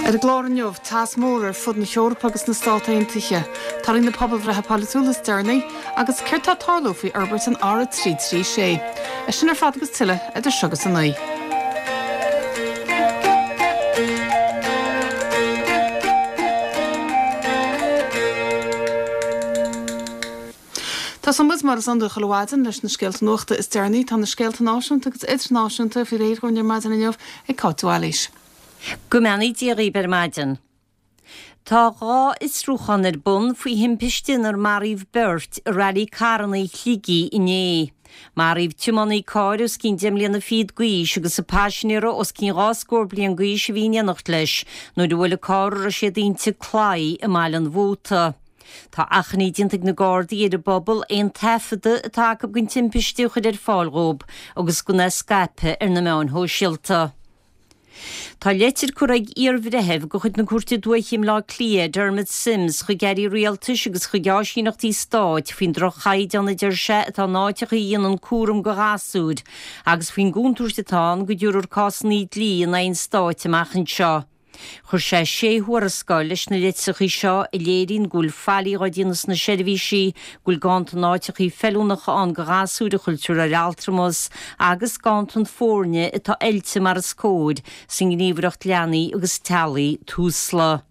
Ar an gclár inniu, teas mór ar fud na hEorpa agus na Stát Aontaithe, torthaí na pobalbhreithe polaitiúla is deireanaí, agus céard tá ag tarlú faoi fhorbairt an R336. É sin ar fad agus tuilleadh idir seo agus 9. Tosóidh muid, mar is iondúil chuile mhaidin, leis na scéalta nuachta is deireanaí. Tá na scéalta náisiúnta agus idirnáisiúnta faoi réir dhúinn ar maidin inniu ag Cáit de Bhailís. Go mbeannaí Dia dhaoibh ar maidin. Tá 2 fhiosrúchán ar bun faoi thimpiste inar maraíodh beirt i Railí Carranna Shligigh inné. Maraíodh tiománaí cairr os cionn deich mbliana fichead d'aois agus a paisinéara os cionn dhá scór bliain d'aois a bhí in éineacht leis nuair a bhuail an carr a raibh siad inti claí i mBaile an Mhóta. Tá achainí déanta ag na Gardaí ar an bpobal aon taifeadadh atá acu den timpiste a chur ar fáil dhóibh agus gan é a scaipeadh ar na meáin shóisialta. Tá leitir curtha ag iar-bhreitheamh de chuid na Cúirte Dúiche i mBleá Cliath, Dermot Simms, chuig airí rialtais agus chuig áisíneachtaí stáit faoin droch-chaighdeán a deir sé atá in áiteacha a dhéanann cúram do ghasúir agus faoin gcontúirt atá ann go dtabharfar cásanna dlí in aghaidh an stáit amach anseo. Chuir sé sé thuarascáil leis na litreacha seo a léiríonn go bhfuil faillí á déanamh sna seirbhísí, go bhfuil ganntan áiteacha feiliúnacha ann do ghasúir a chuirtear ar altramas agus ganntan foirne atá oilte mar is cóir sa nGníomhaireacht Leanaí agus Teaghlaigh, Tusla.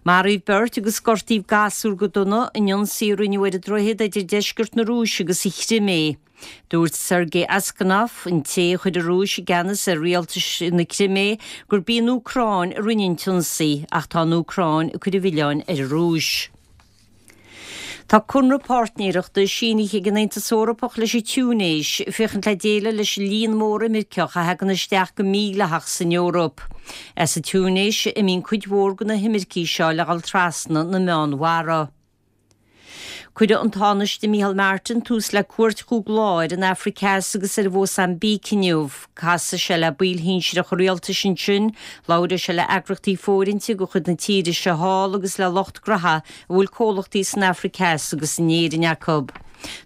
Maraíodh beirt agus gortaíodh gasúr go dona in ionsaí a rinneadh ar an droichead idir deisceart na Rúise agus an Chrimé. Dúirt Sergei Aksyonov, an té a chuir an Rúis i gceannas ar rialtas na Crimé, gurb í an Úcráin a rinne an t-ionsaí, ach tá an Úcráin ag cur an mhilleáin ar an Rúis. Tá conradh páirtnéireachta sínithe ag an Aontas Eorpach leis an Túinéis féachaint le déileáil leis an líon mór imirceach a thagann isteach go mídhleathach san Eoraip. As an Túinéis a imíonn cuid mhór de na himircigh seo le dhul trasna na Meánmhara. Cuirfidh an Tánaiste Micheál Martin tús le cuairt chúig lá ar an Afraic Theas agus ar Mhósaimbíc inniu. Casfaidh sé le baill shinsearacha rialtais ansin, labhróidh sé le eagraíochtaí fóirithinte de chuid na tíre seo thall agus le lucht graithe a bhfuil comhlachtaí san Afraic Theas agus in Éirinn acu.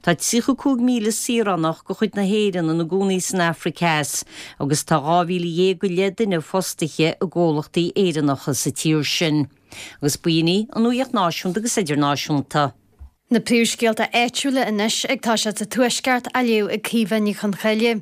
Tá 35,000 saoránach de chuid na hÉireann ina gcónaí san Afraic Theas agus tá 12,000 go leith duine fostaithe i gcomhlachtaí Éireannacha sa tír sin. Agus b'in í an nuacht náisiúnta agus idirnáisiúnta. Na príomhscéalta áitiúla anois ag toiseacht sa Tuaisceart á léamh ag Caoimhe Ní Chonchoille.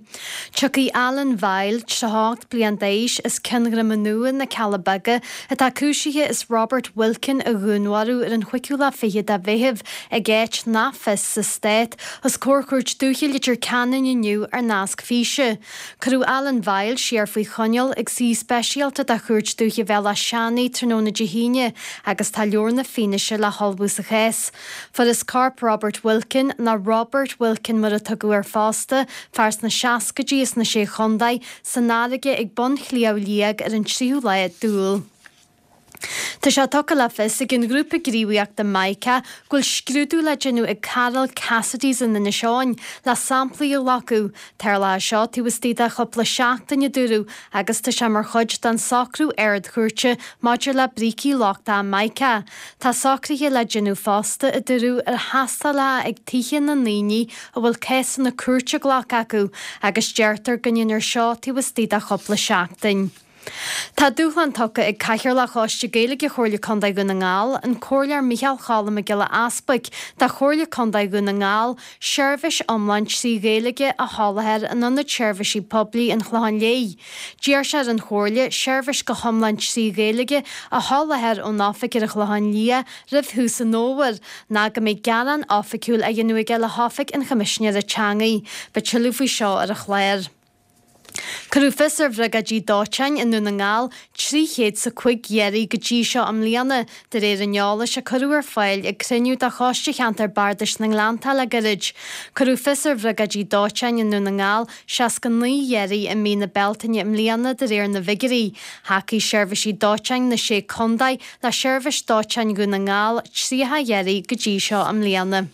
Tiocfaidh Alan Vile, 38 bliain d'aois, as Cionn Dhroma Nua, Na Cealla Beaga, atá cúisithe as Robert Wilkin a dhúnmharú ar an chúigiú lá fichead de Mheitheamh ag áit nach fios sa Stát, os comhair Chúirt Dúiche Leitir Ceanainn inniu ar nasc físe. Cuireadh Alan Vile siar faoi choinneáil ag suí speisialta de Chúirt Dúiche Bhéal Átha Seanaidh tráthnóna Dé hAoine agus tá leabhar na fianaise le hullmhú sa chás. Fuarthas corp Robert Wilkin, nó Roibeart Wilkin mar a tugadh air fosta, fear sna seascaidí as na Sé Chontae, san fharraige ag bun Shliabh Liag ar an tríú lá d'Iúil. Tá sé tugtha le fios ag an ghrúpa gníomhaíochta Mica go bhfuil scrúdú le déanamh ag Carol Cassidy's in Inis Eoghain le samplaí a ghlacadh. Tarlóidh seo taobh istigh de chúpla seachtain, a dúradh, agus tá sé mar chuid den socrú Ard-Chúirte maidir le brící lochtacha Mica. Tá socruithe le déanamh fosta, a dúradh, ar thástálacha ag tithe na ndaoine a bhfuil cásanna cúirte glactha acu agus deirtear go ndéanfar seo taobh istigh de chúpla seachtain. Tá dúshlán tugtha ag Cathaoirleach Choiste Gaeilge Chomhairle Contae Dhún na nGall, an Comhairleoir Micheál Cholm Mac Giolla Easbuig, do Chomhairle Contae Dhún na nGall seirbhís iomlán 3 Ghaeilge a sholáthar in Ionad Seirbhísí Poiblí an Chlocháin Léith. D'iarr sé ar an Chomhairle seirbhís go hiomlán 3 Ghaeilge a sholáthar ón oifig ar an Chlochán Liath roimh thús an fhómhair, nó go mbeidh gearán oifigiúil á dhéanamh aige le hOifig an Choimisinéara Teanga. Beidh tuilleadh faoi seo ar an chlár. Cuireadh fios ar bhriogáidí dóiteáin i nDún na nGall 300 's a 5 iarraidh go dtí seo i mbliana, de réir an eolais a cuireadh ar fáil ag cruinniú de Choiste Cheantar Bardais na nGleanntach le gairid. Cuireadh fios ar bhriogáidí dóiteáin i nDún na nGall 69 iarraidh i mí na Bealtaine i mbliana de réir na bhfigiúirí. Thacaigh seirbhísí dóiteáin na Sé Contae le seirbhís dóiteáin Dhún na nGall 30 iarraidh go dtí seo i mbliana.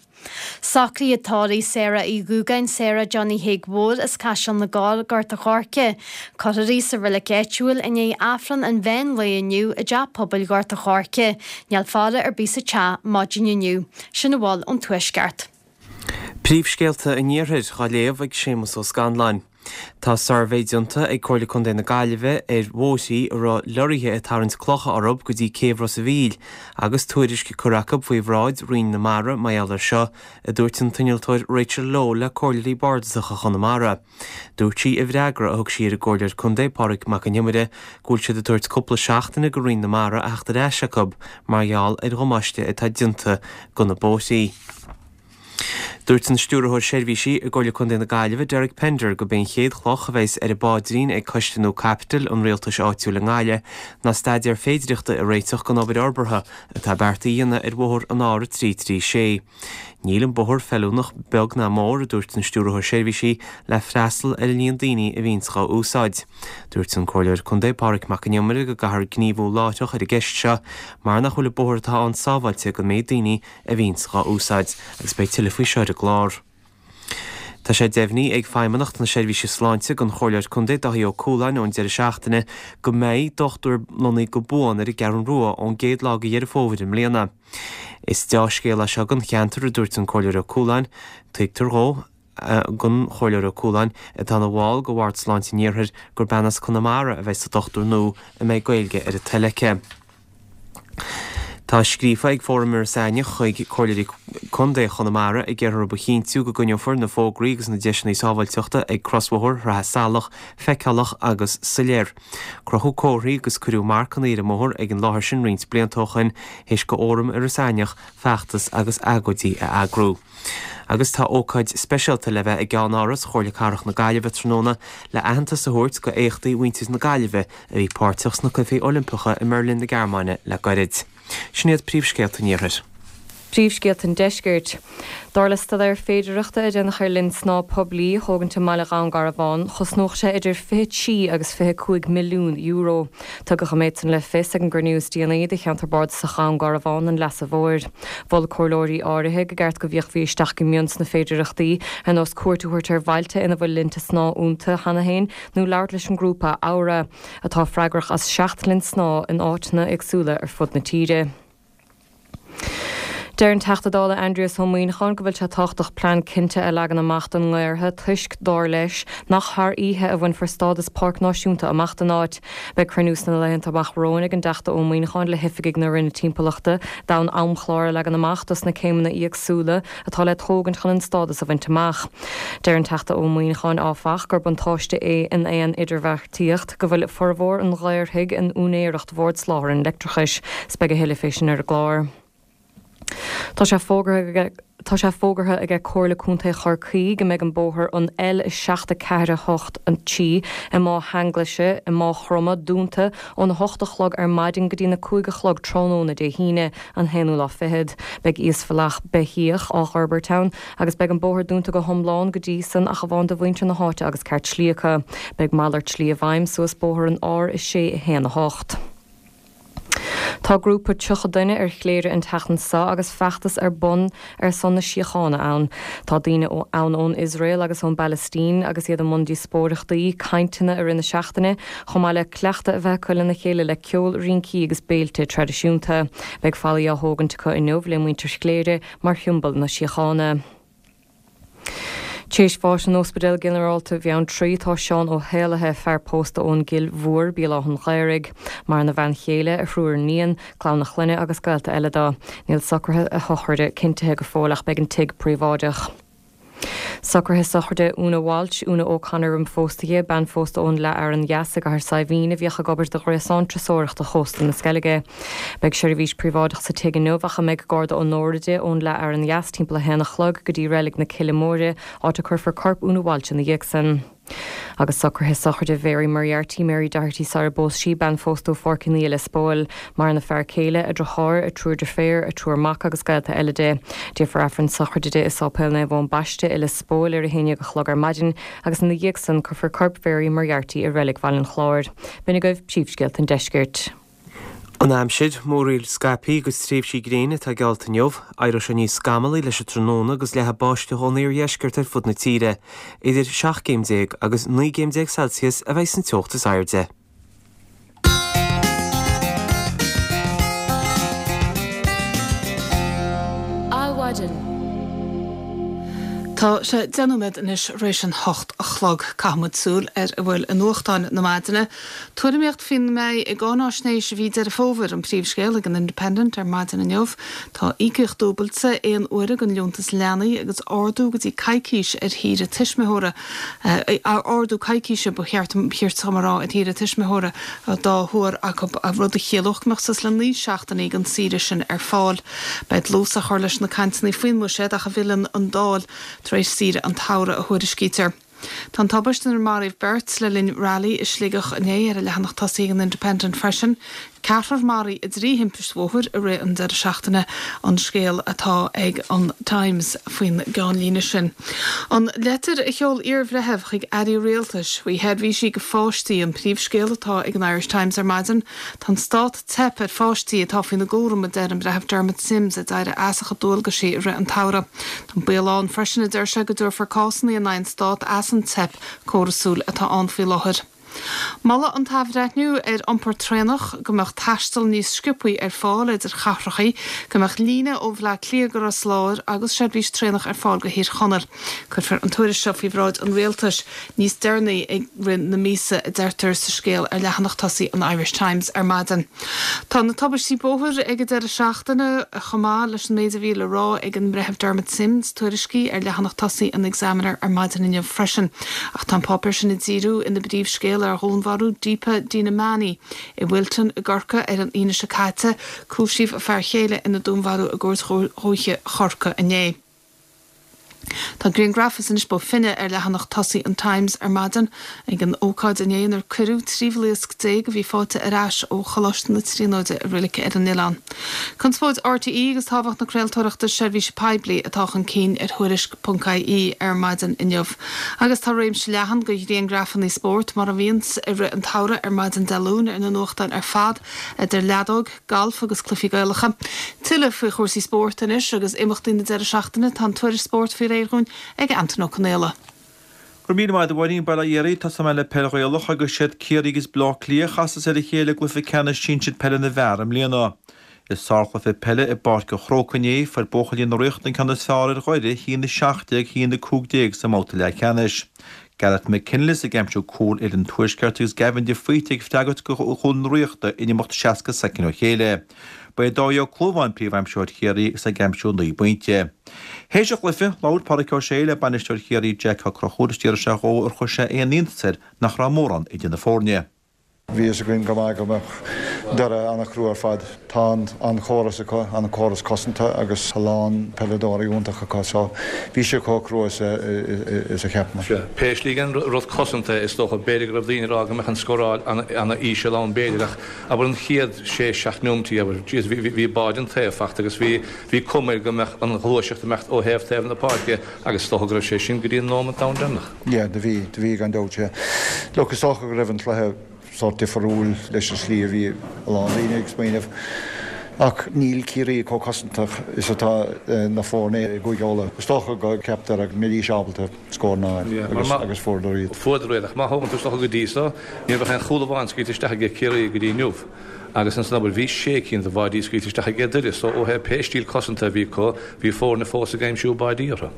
Socruithe tórraimh Sarah Uí Dhúgáin Sarah Johnny Thaidhg Mhóir as Caiseal na gCorr, Gort a' Choirce. Cuirfear í sa reilig áitiúil i ndiaidh Aifreann an mheán lae inniu i dTeach Pobail Ghort a' Choirce. Níl faire ar bith sa teach maidin inniu. Sin a bhfuil ón Tuaisceart. Príomhscéalta an Iarthair á léamh ag Séamus Ó Scanláin. Tá suirbhé déanta ag Comhairle Contae na Gaillimhe ar bhóithrí a raibh lorraithe ag tarraingt clocha orthu go dtí céibh Ros a' Mhíl agus tuairisc curtha acu faoi bhráid Roinn na Mara mar gheall air seo, a dúirt an t-innealtóir Rachel Lowe le Comhairleoirí Bardasacha Chonamara. Dúirt sí i bhfreagra a thug sí ar an gComhairleoir Contae Pádraig Mac Con Iomaire go bhfuil siad ag tabhairt cúpla seachtaine go Roinn na Mara a theacht ar ais acu mar gheall ar dhamáiste atá déanta go na bóithrí. Dúirt an Stiúrthóir Seirbhísí i gComhairle Contae na Gaillimhe, Derek Pender, gurb é an chéad chloch a bheas ar an bpaidrín ag coiste nua caipitil an rialtais áitiúil i nGaillimh ná staidéar féidireachta a réiteach don obair fhorbartha atá beartaithe a dhéanamh ar bhóthar an R336. Níl an bóthar feiliúnach beag ná mór, a dúirt an Stiúrthóir Seirbhísí, le freastal ar an líon daoine a bhíonns dhá úsáid. Dúirt an Comhairleoir Contae Pádraig Mac Con Iomaire go gcaithfear gníomhú láithreach ar an gceist seo mar nach bhfuil an bóthar atá ann sábháilte don méid daoine a bhíonns dhá úsáid, agus beidh tuilleadh faoi seo ar an gclár. Tá sé deimhnithe ag Feidhmeannacht na Seirbhíse Sláinte don Chomhairleoir Contae Dáithí Ó Cualáin ón deireadh seachtaine go mbeidh dochtúir lonnaithe go buan ar an gCeathrú Rua ón gcéad lá de Dheireadh Fómhair i mbliana. Is deá-scéal é seo don cheantar, a dúirt an Comhairleoir Ó Cualáin. Tuigtear dhó, don Chomhairleoir Ó Cualáin, atá ina bhall de Bhord Sláinte an Iarthair, gur bean as Conamara a bheidh sa dochtúir nua a mbeidh Gaeilge ar a toil aici. Tá scríofa ag Fóram Iorras Aithneach chuig Comhairleoirí Contae Chonamara ag iarraidh orthu a chinntiú go gcoinneofar na fógraí agus na deiseanna sábháilteachta ag crosbhóthar Shraith Salach feiceálach agus soiléir. Crochadh comharthaí agus cuireadh marcanna ar an mbóthar ag an láthair sin roinnt blianta ó shoin théis go Fhóram Iorras Aithneach feachtas agus agóidí a eagrú. Agus tá ócáid speisialta le bheith i gceannáras Chomhairle Cathrach na Gaillimhe tráthnóna le aitheantas a thabhairt go éachtaí mhuintir na Gaillimhe a bhí páirteach sna Cluichí Oilimpeacha i mBeirlin na Gearmáine le gairid. Sin iad príomhscéalta an Iarthair. Príomhscéalta an Deiscirt. Dar le staidéar féidearthachta a déanadh ar linn snámha poiblí a thógaint i mbaile Dhún Garbhán, chosnódh sé idir 23 agus 25 milliún euro. Tugadh an méid san le fios ag an gcruinniú is déanaí de Cheantar Bardasach Dhún Garbhán an Leasa Mhóir. Mhol comhairleoirí áirithe go gceart go bhféachfaí isteach go mion sna féidearthachtaí, ar nós cuairt a thabhairt ar bhailte ina bhfuil linnte snámha iontu cheana féin nó labhairt leis an ngrúpa Aura, atá freagrach as 7 linn snámha in áiteanna éagsúla ar fud na tíre. Deir an Teachta Dála Aindrias Ó Muíneacháin go bhfuil sé tábhachtach plean cinnte a leagan amach don nGaorthadh toisc, dar leis, nach thar oíche a bhainfear stádas páirc náisiúnta amach don áit. Beidh cruinniú sna laethanta amach romhainn ag an dTeachta Ó Muíneacháin le hoifigigh na Roinne Timpeallachta d'fhonn amchlár a leagan amach dos na céimeanna éagsúla atá le tógaint chun an stádas a bhaint amach. Deir an Teachta Ó Muíneacháin, áfach, gur buntáiste é in aon idirbheartaíocht go bhfuil formhór an Ghaorthaidh in úinéireacht Bhord Soláthair an Leictreachais. 'S beidh a thuilleadh fé sin ar an gclár. Tá sé fógartha Tá sé fógartha aige Comhairle Contae Chorcaí go mbeidh an bóthar an L7 4 8 3 i Má hEanglaise i Máigh Chromtha dúnta óna hocht a chlog ar maidin go dtí na 5 a chlog tráthnóna Dé hAoine, an haonú lá fichead. Beidh íosbhealach beithíoch á dh'fhorbairt ann agus beidh an bóthar dúnta go hiomlán go dtí san ach amháin do mhuintir na háite agus cairt slí acu. Beidh malairt slí i bhfeidhm suas bóthar an R6 1 8. Tá grúpa 30 duine ar Chléire an tseachtain seo agus feachtas ar bun ar son na síochána ann. Tá daoine ann ón Iosrael agus ón bPalaistín agus iad i mbun díospóireachtaí, cainteanna i rith na seachtaine, chomh maith le cleachtadh a bheith acu lena chéile le ceol, rincí agus béilte traidisiúnta. Beidh fallaí á thógaint acu inniu le muintir Chléire mar shiombail na síochána. Théis bháis in Ospidéal Ginearálta Bheanntraí tá Seán Ó hÉallaithe, fear pósta ón gCill Mhór, Béal Átha'n Ghaorthaidh. Maireann a bhean chéile, a thriúr iníon, clann a chlainne agus gaolta eile dó. Níl socruithe a shochraide cinntithe go fóill ach beidh an tigh príobháideach. Socruithe sochraide Úna Walsh, Úna O'Connor roimh phósta di, bean phósta ón Leath Fhearann Dheas i gCathair Saidhbhín a bhíodh ag obair do Ghréasán Turasóireachta Chósta na Sceilge. Beidh seirbhís príobháideach sa tigh inniu ach a mbeidh garda onóra di ón Leath Fhearann Dheas timpeall a haon a chlog go dtí Reilig na Cille Móire, áit a cuirfear corp Úna Walsh ina dhiaidh san. Agus socruithe sochraide Mhary Moriarty, Mary Doherty sara bpós sí, bean phósta ó Pháirc an Fhia, Lios Póil. Maireann a fear céile, a driotháir, a triúr deirféar, a triúr mac agus gaolta eile di. Déanfar Aifreann sochraide di i Sáipéal Naomh Eoin Baiste i Lios Póil ar a haon dhéag a chlog ar maidin agus ina dhiaidh san cuirfear corp Mhary Moriarty i Reilig Bhaile an Chláir. B'in agaibh príomhscéalta an deiscirt. An aimsir, Múraíl scaipthe agus tréimhsí gréine atá geallta inniu. Éireoidh sé níos scamallaí leis an tráthnóna agus leathfaidh báisteach ón iardheisceart ar fud na tíre. Idir 17 gcéim agus 19 gcéim Celsius a bheidh san teocht is airde. Adhmhaidin. Tá sé 10 nóiméad anois th'réis an hocht a chlog. Caithfidh muid súil ar a bhfuil i nuachtáin na maidine. Tuairimíocht faoina mbeidh i gcáináisnéis mhí Deireadh Fómhair an príomhscéal ag an Independent ar maidin inniu. Tá íocaíocht dúbailte aon uaire den liúntas leanaí agus ardú go dtí coicís ar shaoire tuismitheora, ardú coicíse ba cheart dom a rá ar shaoire tuismitheora dá thuar acu, rud a chiallódh go mbeadh suas le 9 seachtainí den saoire sin ar fáil. Beidh dlús á chur leis na cainteanna faoin mbuiséad ach a bhfilleann an Dáil tar éis saoire an tsamhraidh, a thuairiscítear. Tá an tubaiste inar maraíodh beirt le linn railí i Sligeach inné ar an leathanach tosaigh ag an Independent freisin. Ceathrar maraithe i dtrí thimpist bhóthair i rith an deireadh seachtaine an scéal atá ag an Times faoin gceannlíne sin. An leitir a sheol iarbhreitheamh chuig airí rialtais faoi sheirbhísí do pháistí an príomhscéal atá ag an Irish Times ar maidin. Tá an stát ag teip ar pháistí atá faoina gcúram, a deir an Breitheamh Dermot Simms, a d'éirigh as a chuid dualgaisí i rith an tsamhraidh. Tá an baol ann freisin, a deir sé, go dtabharfar cásanna in aghaidh an Stát as an teip córasúil atá ann faoi láthair. Moladh an t-athbhreithniú ar iompar traenach, go mbeadh taisteal níos sciobthaí ar fáil idir chathracha, go mbeadh líne ó Bhleá Cliath go Ros Láir agus seirbhís traenach ar fáil go Thír Chonaill. Cuirfear an tuairisc seo faoi bhráid an Rialtais níos deireanaí i rith na míosa, a deirtear sa scéal ar leathanach tosaigh an Irish Times ar maidin. Tá na tubaistí bóthair ag an deireadh seachtaine, chomh maith leis an méid a bhí le rá ag an mBreitheamh Dermot Simms, tuairiscithe ar leathanach tosaigh an Examiner ar maidin inniu freisin. Ach tá an páipéar sin ag díriú ina bpríomhscéal ar dhúnmharú Deepa Dinamani i Wilton i gCorcaigh ar an Aoine seo caite. Cúisíodh a fear chéile ina dúnmharú i gCúirt Dhúiche Chorcaí inné. Tá grianghraf as Inis Bó Finne ar leathanach tosaigh an Times ar maidin ag an ócáid inné inar cuireadh 13 bhlaosc a bhí faighte ar ais ó Choláiste na Tríonóide i reilig ar an oileán. Conspóid RTÉ agus tábhacht na craoltóireachta seirbhíse poiblí atá chun cinn ar Thuairisc.ie ar maidin inniu. Agus tá réimse leathan de ghrianghrafanna spóirt mar a bhíonns i rith an tsamhraidh ar maidin Dé Luain ar na nuachtáin ar fad, idir leadóg, galf agus cluichí Gaelacha. Tuilleadh faoi chúrsaí spóirt anois agus imeachtaí na deireadh seachtaine, tá an tuairisc spóirt faoi réir dhúinn ag Antain Ó Conaola. Go raibh míle maith agat a Mháirín, Bail ó Dhia oraibh, tosóidh mé le peil Ghaelach agus siad Ciarraí agus Baile Átha Cliath a chasas ar a chéile i gcluiche ceannais sinsir peile na bhfear i mbliana. I sárchluiche peile i bPáirc an Chrócaigh inné, fuair buachaillí na Ríochta an ceann is fearr ar Dhoire, 1-17, 1-15 sa mbabhta leathcheannais. Gareth McKinless ag aimsiú cúl fhoireann an Tuaiscirt agus Gavin de Faoite ag freagairt do chúl na Ríochta in imeacht 60 soicind ó chéile. Ba é Dáithí Ó Clúmháin príomhaimsitheoir Chiarraí agus é ag aimsiú 9 bpointe. Théis an chluiche, labhair Pádraic Ó Sé le bainisteoir Chiarraí Jack Ó Conchúir is d'fhiafraigh sé dhó ar chuir sé aon iontas air nach raibh mórán idir na foirne. Bhí fhios againn go maith go mbeadh Doire an-chrua ar fad. Tá an-chóras acu, an-chóras cosanta agus a lán peileadóirí iontach acu so bhí sé chomh crua is a cheap muid. Sea, pé slí den rud cosanta is dócha, b'fhéidir go raibh daoine ag rá go mbeadh an scóráil an-íseal ann b'fhéidir ach abair an chéad sé, seacht neomaintí abair, jeez bhí, bhí báid an taobh fachta agus bhí, bhí cuma air go mbeadh an ghluaiseacht ag imeacht ó thaobh taobh na páirce agus is dócha go raibh sé sin go dtí an nóimeant domhain deireanach. Yeah, do bhí, do bhí gan dabht, yeah. Look, is dócha go raibh an cluiche sórt difriúil leis an slí a bhí a lán daoine ag smaoineamh. Ach níl Ciarraí chomh cosantach is atá na foirne i gCúige Uladh. Is dócha go cheap Doire go mbeidís ábalta scóranna a fháil agus, agus fuaireadar iad. Fuaireadar iad, ach má thógann tú is dócha go dtí so, ní raibh ach aon chúl amháin scaoilte isteach aige Ciarraí go dtí inniu. Agus ansan abair, bhí sé cinn de bháidí scaoilte isteach aige Doire, so ó thaobh pé stíl cosanta a bhí acu, bhí foirne fós ag aimsiú báidí orthu.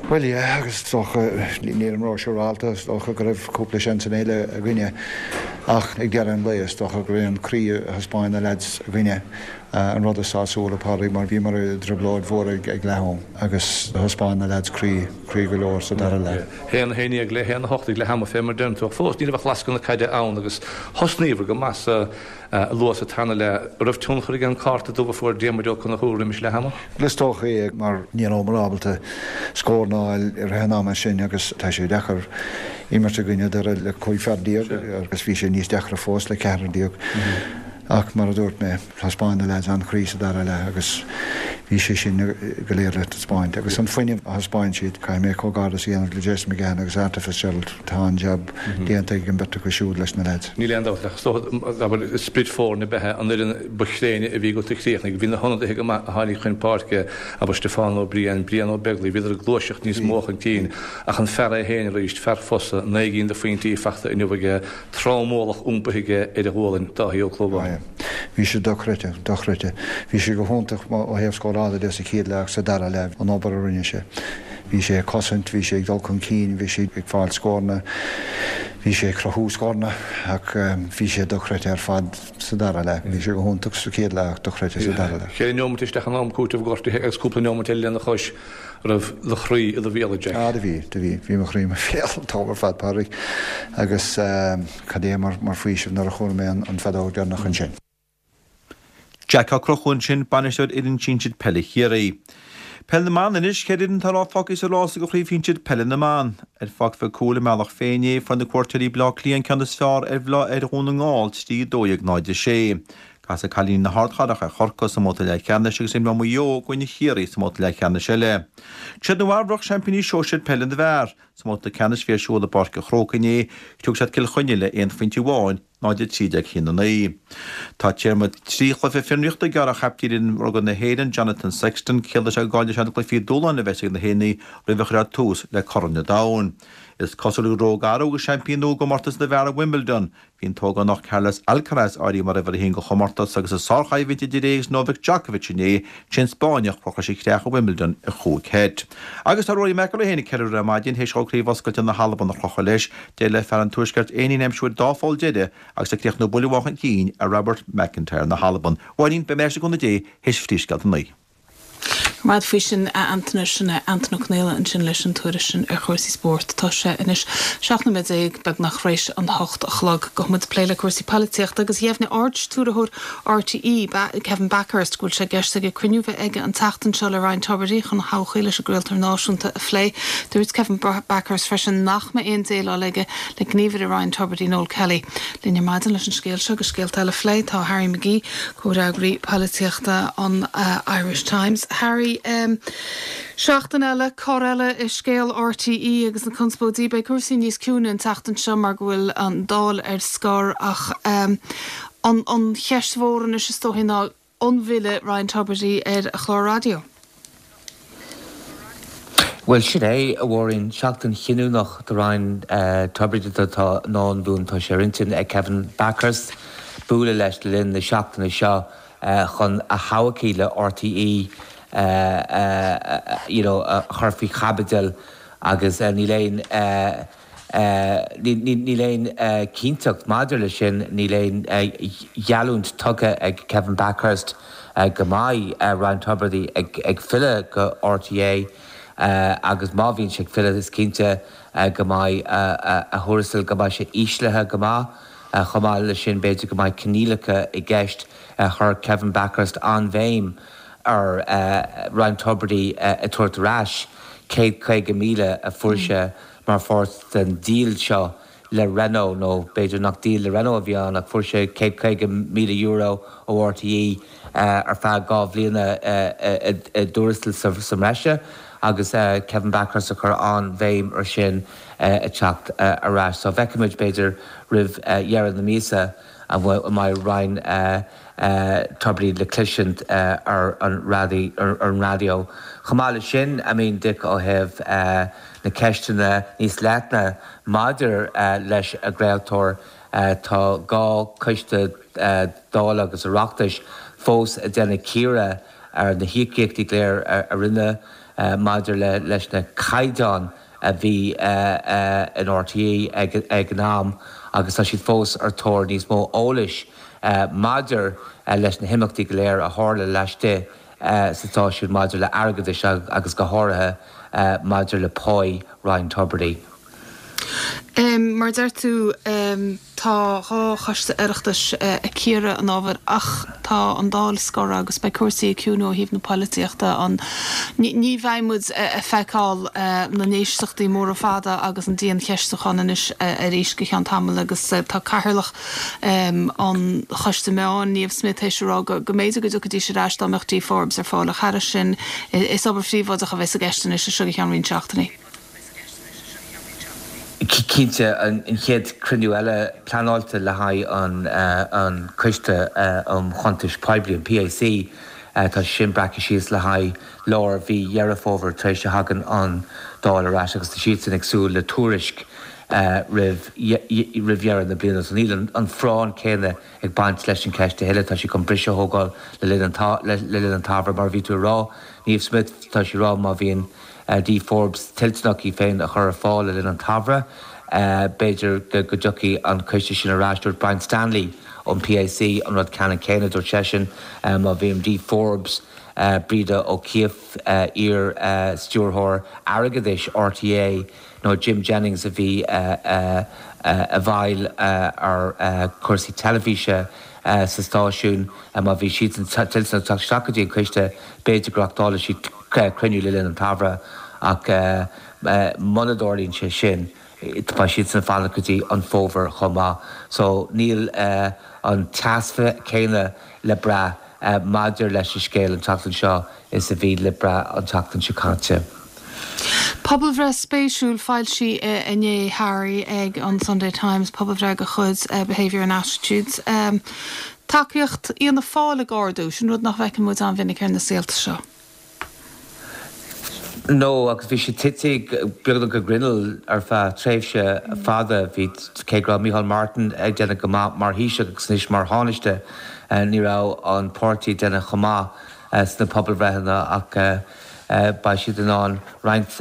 Bhuel, yeah, agus is dócha, nílim ró-siúrálta, is dócha go raibh cúpla seansanna eile againne ach ag deireadh an lae is dócha go raibh an croí a thaispeáin na leaids againne an rud is sásúla, Pádraig, mar bhíomar i dtrioblóid mhór ag leath-am agus thaispeáin na leaids croí, croí go leor sa dara leath. 1, 11 le 1, 8 ag leath ama fé mar deireann tú ach fós ní raibh ach lascadh na caide ann agus thosnaíobhair go maith sa luath sa tarna leath. An raibh tionchar ag an cárta dubh a fuair Diarmuid Ó Conchúir roimis leath ama? Is dócha é mar ní rabhamar ábalta scór a fháil i rith an ama sin agus tá sé deacair imirt i gcoinne Doire le 15 fear agus bhí sé níos deacra fós le ceathrar déag ach mar a dúirt mé Thaispeáin na leaids an-chroí sa dara leath agus bhí sé sin go léir le taispeáint. Agus an fuinneamh a thaispeáin siad, caithfidh mé comhghairdeas a dhéanamh le Jason McGahan agus Arthur Fitzgerald, tá an-jab déanta ag an mbeirt acu siúd leis na leaids. Níl aon dabht ach is dócha, abair, sprid foirne ab ea an fhoireann ba thréine a bhí agat a chríochnaigh. Bhí na hionadaithe go maith a tháinig chun páirce, abair Stiofán Ó Briain, Brian Ó Beaglaoich, bhíodar ag gluaiseacht níos mó chun cinn ach an fear é féin arís, fear fosa, 9 gcinn de phointí fachta inniu aige, Tromualach iompaithe aige ar a ghualainn, Dáithí Ó Clúmháin. Bhí sé dochreidte, dochreidte. Bhí sé go hiontach ó thaobh scórála de sa chéad leath agus sa dara leath, an obair a rinne sé. Bhí sé ag cosaint, bhí sé ag dul chun cinn, bhí sé ag fáil scóranna, bhí sé ag cruthú scóranna ach bhí sé dochreidte ar fad sa dara leath. Bhí sé go hiontach sa chéad leath ach dochreidte sa dara leath. Cheithre neomat isteach in am cúitimh gortaithe agus cúpla neomat eile lena chois, raibh do chroí i do bhéal, a Jack? Ah, do bhí, do bhí. Bhí mo chroí i mo bhéal an t-am ar fad, Pádraig. Agus cad é mar faoiseamh nuair a chuala mé an feadóg deireanach ansin. Jack Ó Conchúir ansin, bainisteoir fhoireann sinsir peile Chiarraí. Peil na mBan anois, 4 fhoireann atá fágtha sa rás do chraobh shinsir peile na mban. Ar Pháirc Mhic Cumhaill i mBealach Féich inné, fuair na cuairteoirí Baile Átha Cliath an ceann is fearr ar ar Dhún na nGall 3 12 0 6. Casfaidh cailíní na hArdchathrach ar Chorcaigh sa mbabhta leathcheannais agus imreoidh Maigh Eo i gcoinne Chiarraí sa mbabhta leathcheannais eile. Siad Nua Eabhrac seaimpíní sóisir peile na bhfear. Sa mbabhta ceannais a bhí ar siúl i bPáirc an Chrócaigh inné, shroich siad Cill Chainnigh le aon phointe amháin, 0 13 1 9. Tá téarma 3 chluiche fionraíochta gearrtha ar chaptaen fhoireann rugbaí na hÉireann, Jonathan Sexton. Ciallaíonn sé go gcaillfidh sé na cluichí dúshláin a bheas ag na hÉireannaigh roimh a chuirfear tús le Corn an Domhain. Is cosúil go raibh athrú agus seaimpín nua i gcomórtas na bhfear i Wimbledon. Bhí an t-ógánach Carlos Alcaraz áirithe mar uimhir a haon den chomórtas agus i sárchoimhlint idir é agus Novak Djokovic inné, sé an Spáinneach a chuir sé a chreach i Wimbledon i chúig sheit. Agus tá Rory McIlroy féin ag ceiliúradh ar maidin théis dhó Craobh Oscailte na hAlban a chrochadh leis. D'éirigh le fear an Tuaiscirt aon líne a aimsiú ar dá pholl deiridh agus é ag críochnú buille amháin chun cinn ar Robert MacIntyre na hAlban. A Mháirín, beidh mé ar ais le cúnamh Dé théis phríomhscéalta a naoi. Go raibh maith agat faoi sin, a Antaine. Sin é Antaine Ó Conaola ansin leis an tuairisc sin ar chúrsaí spóirt. Tá sé anois 17 nóiméad beagnach tar éis an hocht a chlog. Gabhfaidh muid ag plé le cúrsaí poilitíochta agus dheimhnigh Ard-Stiúrthóir RTÉ, Kevin Bakhurst, go bhfuil sé i gceist aige cruinniú a bheith aige an tseachtain seo le Ryan Tubridy chun a thodhchaí leis an gcraoltóir náisiúnta a phlé. Dúirt Kevin Bakhurst freisin nach mbeidh aon déileáil aige le gníomhaire Ryan Tubridy, Noel Kelly. Linn ar maidin leis an scéal seo agus scéalta eile a phlé tá Harry McGee, Comhfhreagraí Polaitíochta an Irish Times. Harry, Seachtain eile, cor eile i scéal RTÉ agus na conspóidí. Beidh cúrsaí níos ciúine an tseachtain seo mar go bhfuil an Dáil ar scor ach an cheist mhór anois is dóichí ná an bhfillfidh Ryan Tubridy ar a chlár raidió? Bhuel, sin é, a Mháirín, seachtain chinniúnach do Ryan Tubridy atá i ndán dúinn. Tá sé ar intinn ag Kevin Bakhurst bualadh leis le linn na seachtaine seo chun a thodhchaí le RTÉ you know a chur faoi chaibidil agus níl aon Níl aon chinnteacht maidir leis sin, níl aon gheallúint tugtha ag Kevin Bakhurst go mbeidh Ryan Tubridy ag filleadh go RTÉ agus má bhíonn sé ag filleadh is cinnte go mbeidh a thuarastal, go mbeidh sé íslithe go maith. Chomh maith leis sin b'fhéidir go mbeidh coinníollacha i gceist. Chuir Kevin Bakhurst an-bhéim ar Ryan Tubridy a tabhairt ar ais 150,000 a fuair sé mar pháirt den díol seo le Renault, nó b'fhéidir nach díol le Renault a bhí ann ach fuair sé €150,000 ó RTÉ ar feadh 2 bhliana i dtuarastal sa mbreise agus Kevin Bakhurst ag cur an-bhéim ar sin ag teacht ar ais. So feicfimid b'fhéidir roimh dheireadh na míosa an mbeidh Ryan Tubridy le cloisint ar an raidió. Chomh maith leis sin, I mean Dick ó thaobh na ceisteanna níos leithne maidir leis an gcraoltóir, tá 2 choiste Dála agus Oireachtais fós ag déanamh cíoradh ar na híocaíochtaí go léir a rinneadh maidir leis na caighdeáin a bhí in RTÉ ag an am agus tá siad fós ar tóir níos mó eolais maidir leis na himeachtaí go léir a tharla laistigh sa stáisiún maidir le airgeadais agus go háirithe maidir le páí Ryan Tubridy. Mar a deir tú, tá 2 choiste Oireachtais ag cíoradh an ábhair ach tá an Dáil scortha agus beidh cúrsaí ag ciúnú ó thaobh na poilitíochta. Ní bheidh muid ag feiceáil na n-éisteachtaí móra fada agus an diancheistiúchán anois arís go ceann tamaill agus tá Cathaoirleach an Choiste Meán, Niamh Smyth, théis a rá go mb'fhéidir go dtiocfaidís ar ais dá mbeadh Dee Forbes ar fáil ach thairis sin is obair phríobháideach a bheas i gceist anois as seo go ceann roinnt seachtainí. Cinnte, an chéad chruinniú eile pleanáilte le haghaidh an Coiste um Chuntais Poiblí, an PAC, tá sé sin breactha síos le haghaidh lár mhí Dheireadh Fómhair tar éis a thagann an Dáil ar ais agus tá siadsan ag súil le tuairisc roimh dheireadh na bliana. So níl an phráinn céanna ag baint leis an cheist a thuilleadh. Tá siad chun briseadh a thógáil le linn an tsamhraidh. Mar a bhí tú ag rá, Niamh Smyth, tá sí ag rá má bhíonn. Dee Forbes toilteanach í féin a chur ar fáil le linn an tsamhraidh. B'fhéidir go dtiocfaidh an coiste sin ar ais. Dúirt Brian Stanley ón PAC an rud ceannann céanna. Dúirt seisean má bhíonn Dee Forbes, Breda O'Keeffe, iar-stiúrthóir airgeadais RTÉ, nó Jim Jennings a bhí i bhfeighil ar chúrsaí teilifíse sa stáisiún, má bhí siadsan toilteanach teacht isteach go dtí an coiste, b'fhéidir go reáchtálfaidh siad cruinniú le linn an tsamhraidh ach muna dtarlaíonn sé sin, beidh siadsan ag fanacht go dtí an fómhar chomh maith. So níl an teas céanna le brath maidir leis an scéal an tseachtain seo is a bhí le brath an tseachtain seo caite. Pobalbhreith spéisiúil foilsithe inné, Harry, ag an Sunday Times, pobalbhreith de chuid Behaviour and Attitudes. Tacaíocht Fhianna Fáil ag ardú, sin rud nach bhfeiceann muid an-mhinic ar na saolta seo. No, agus bhí sé tite beagnach go grinneall ar feadh tréimhse fada. Bhí, cé go raibh Micheál Martin ag déanamh go maith mar Thaoiseach agus anois mar Thánaiste, ní raibh an páirtí ag déanamh chomh maith sna pobalbhreitheanna ach beidh siad in ann roinnt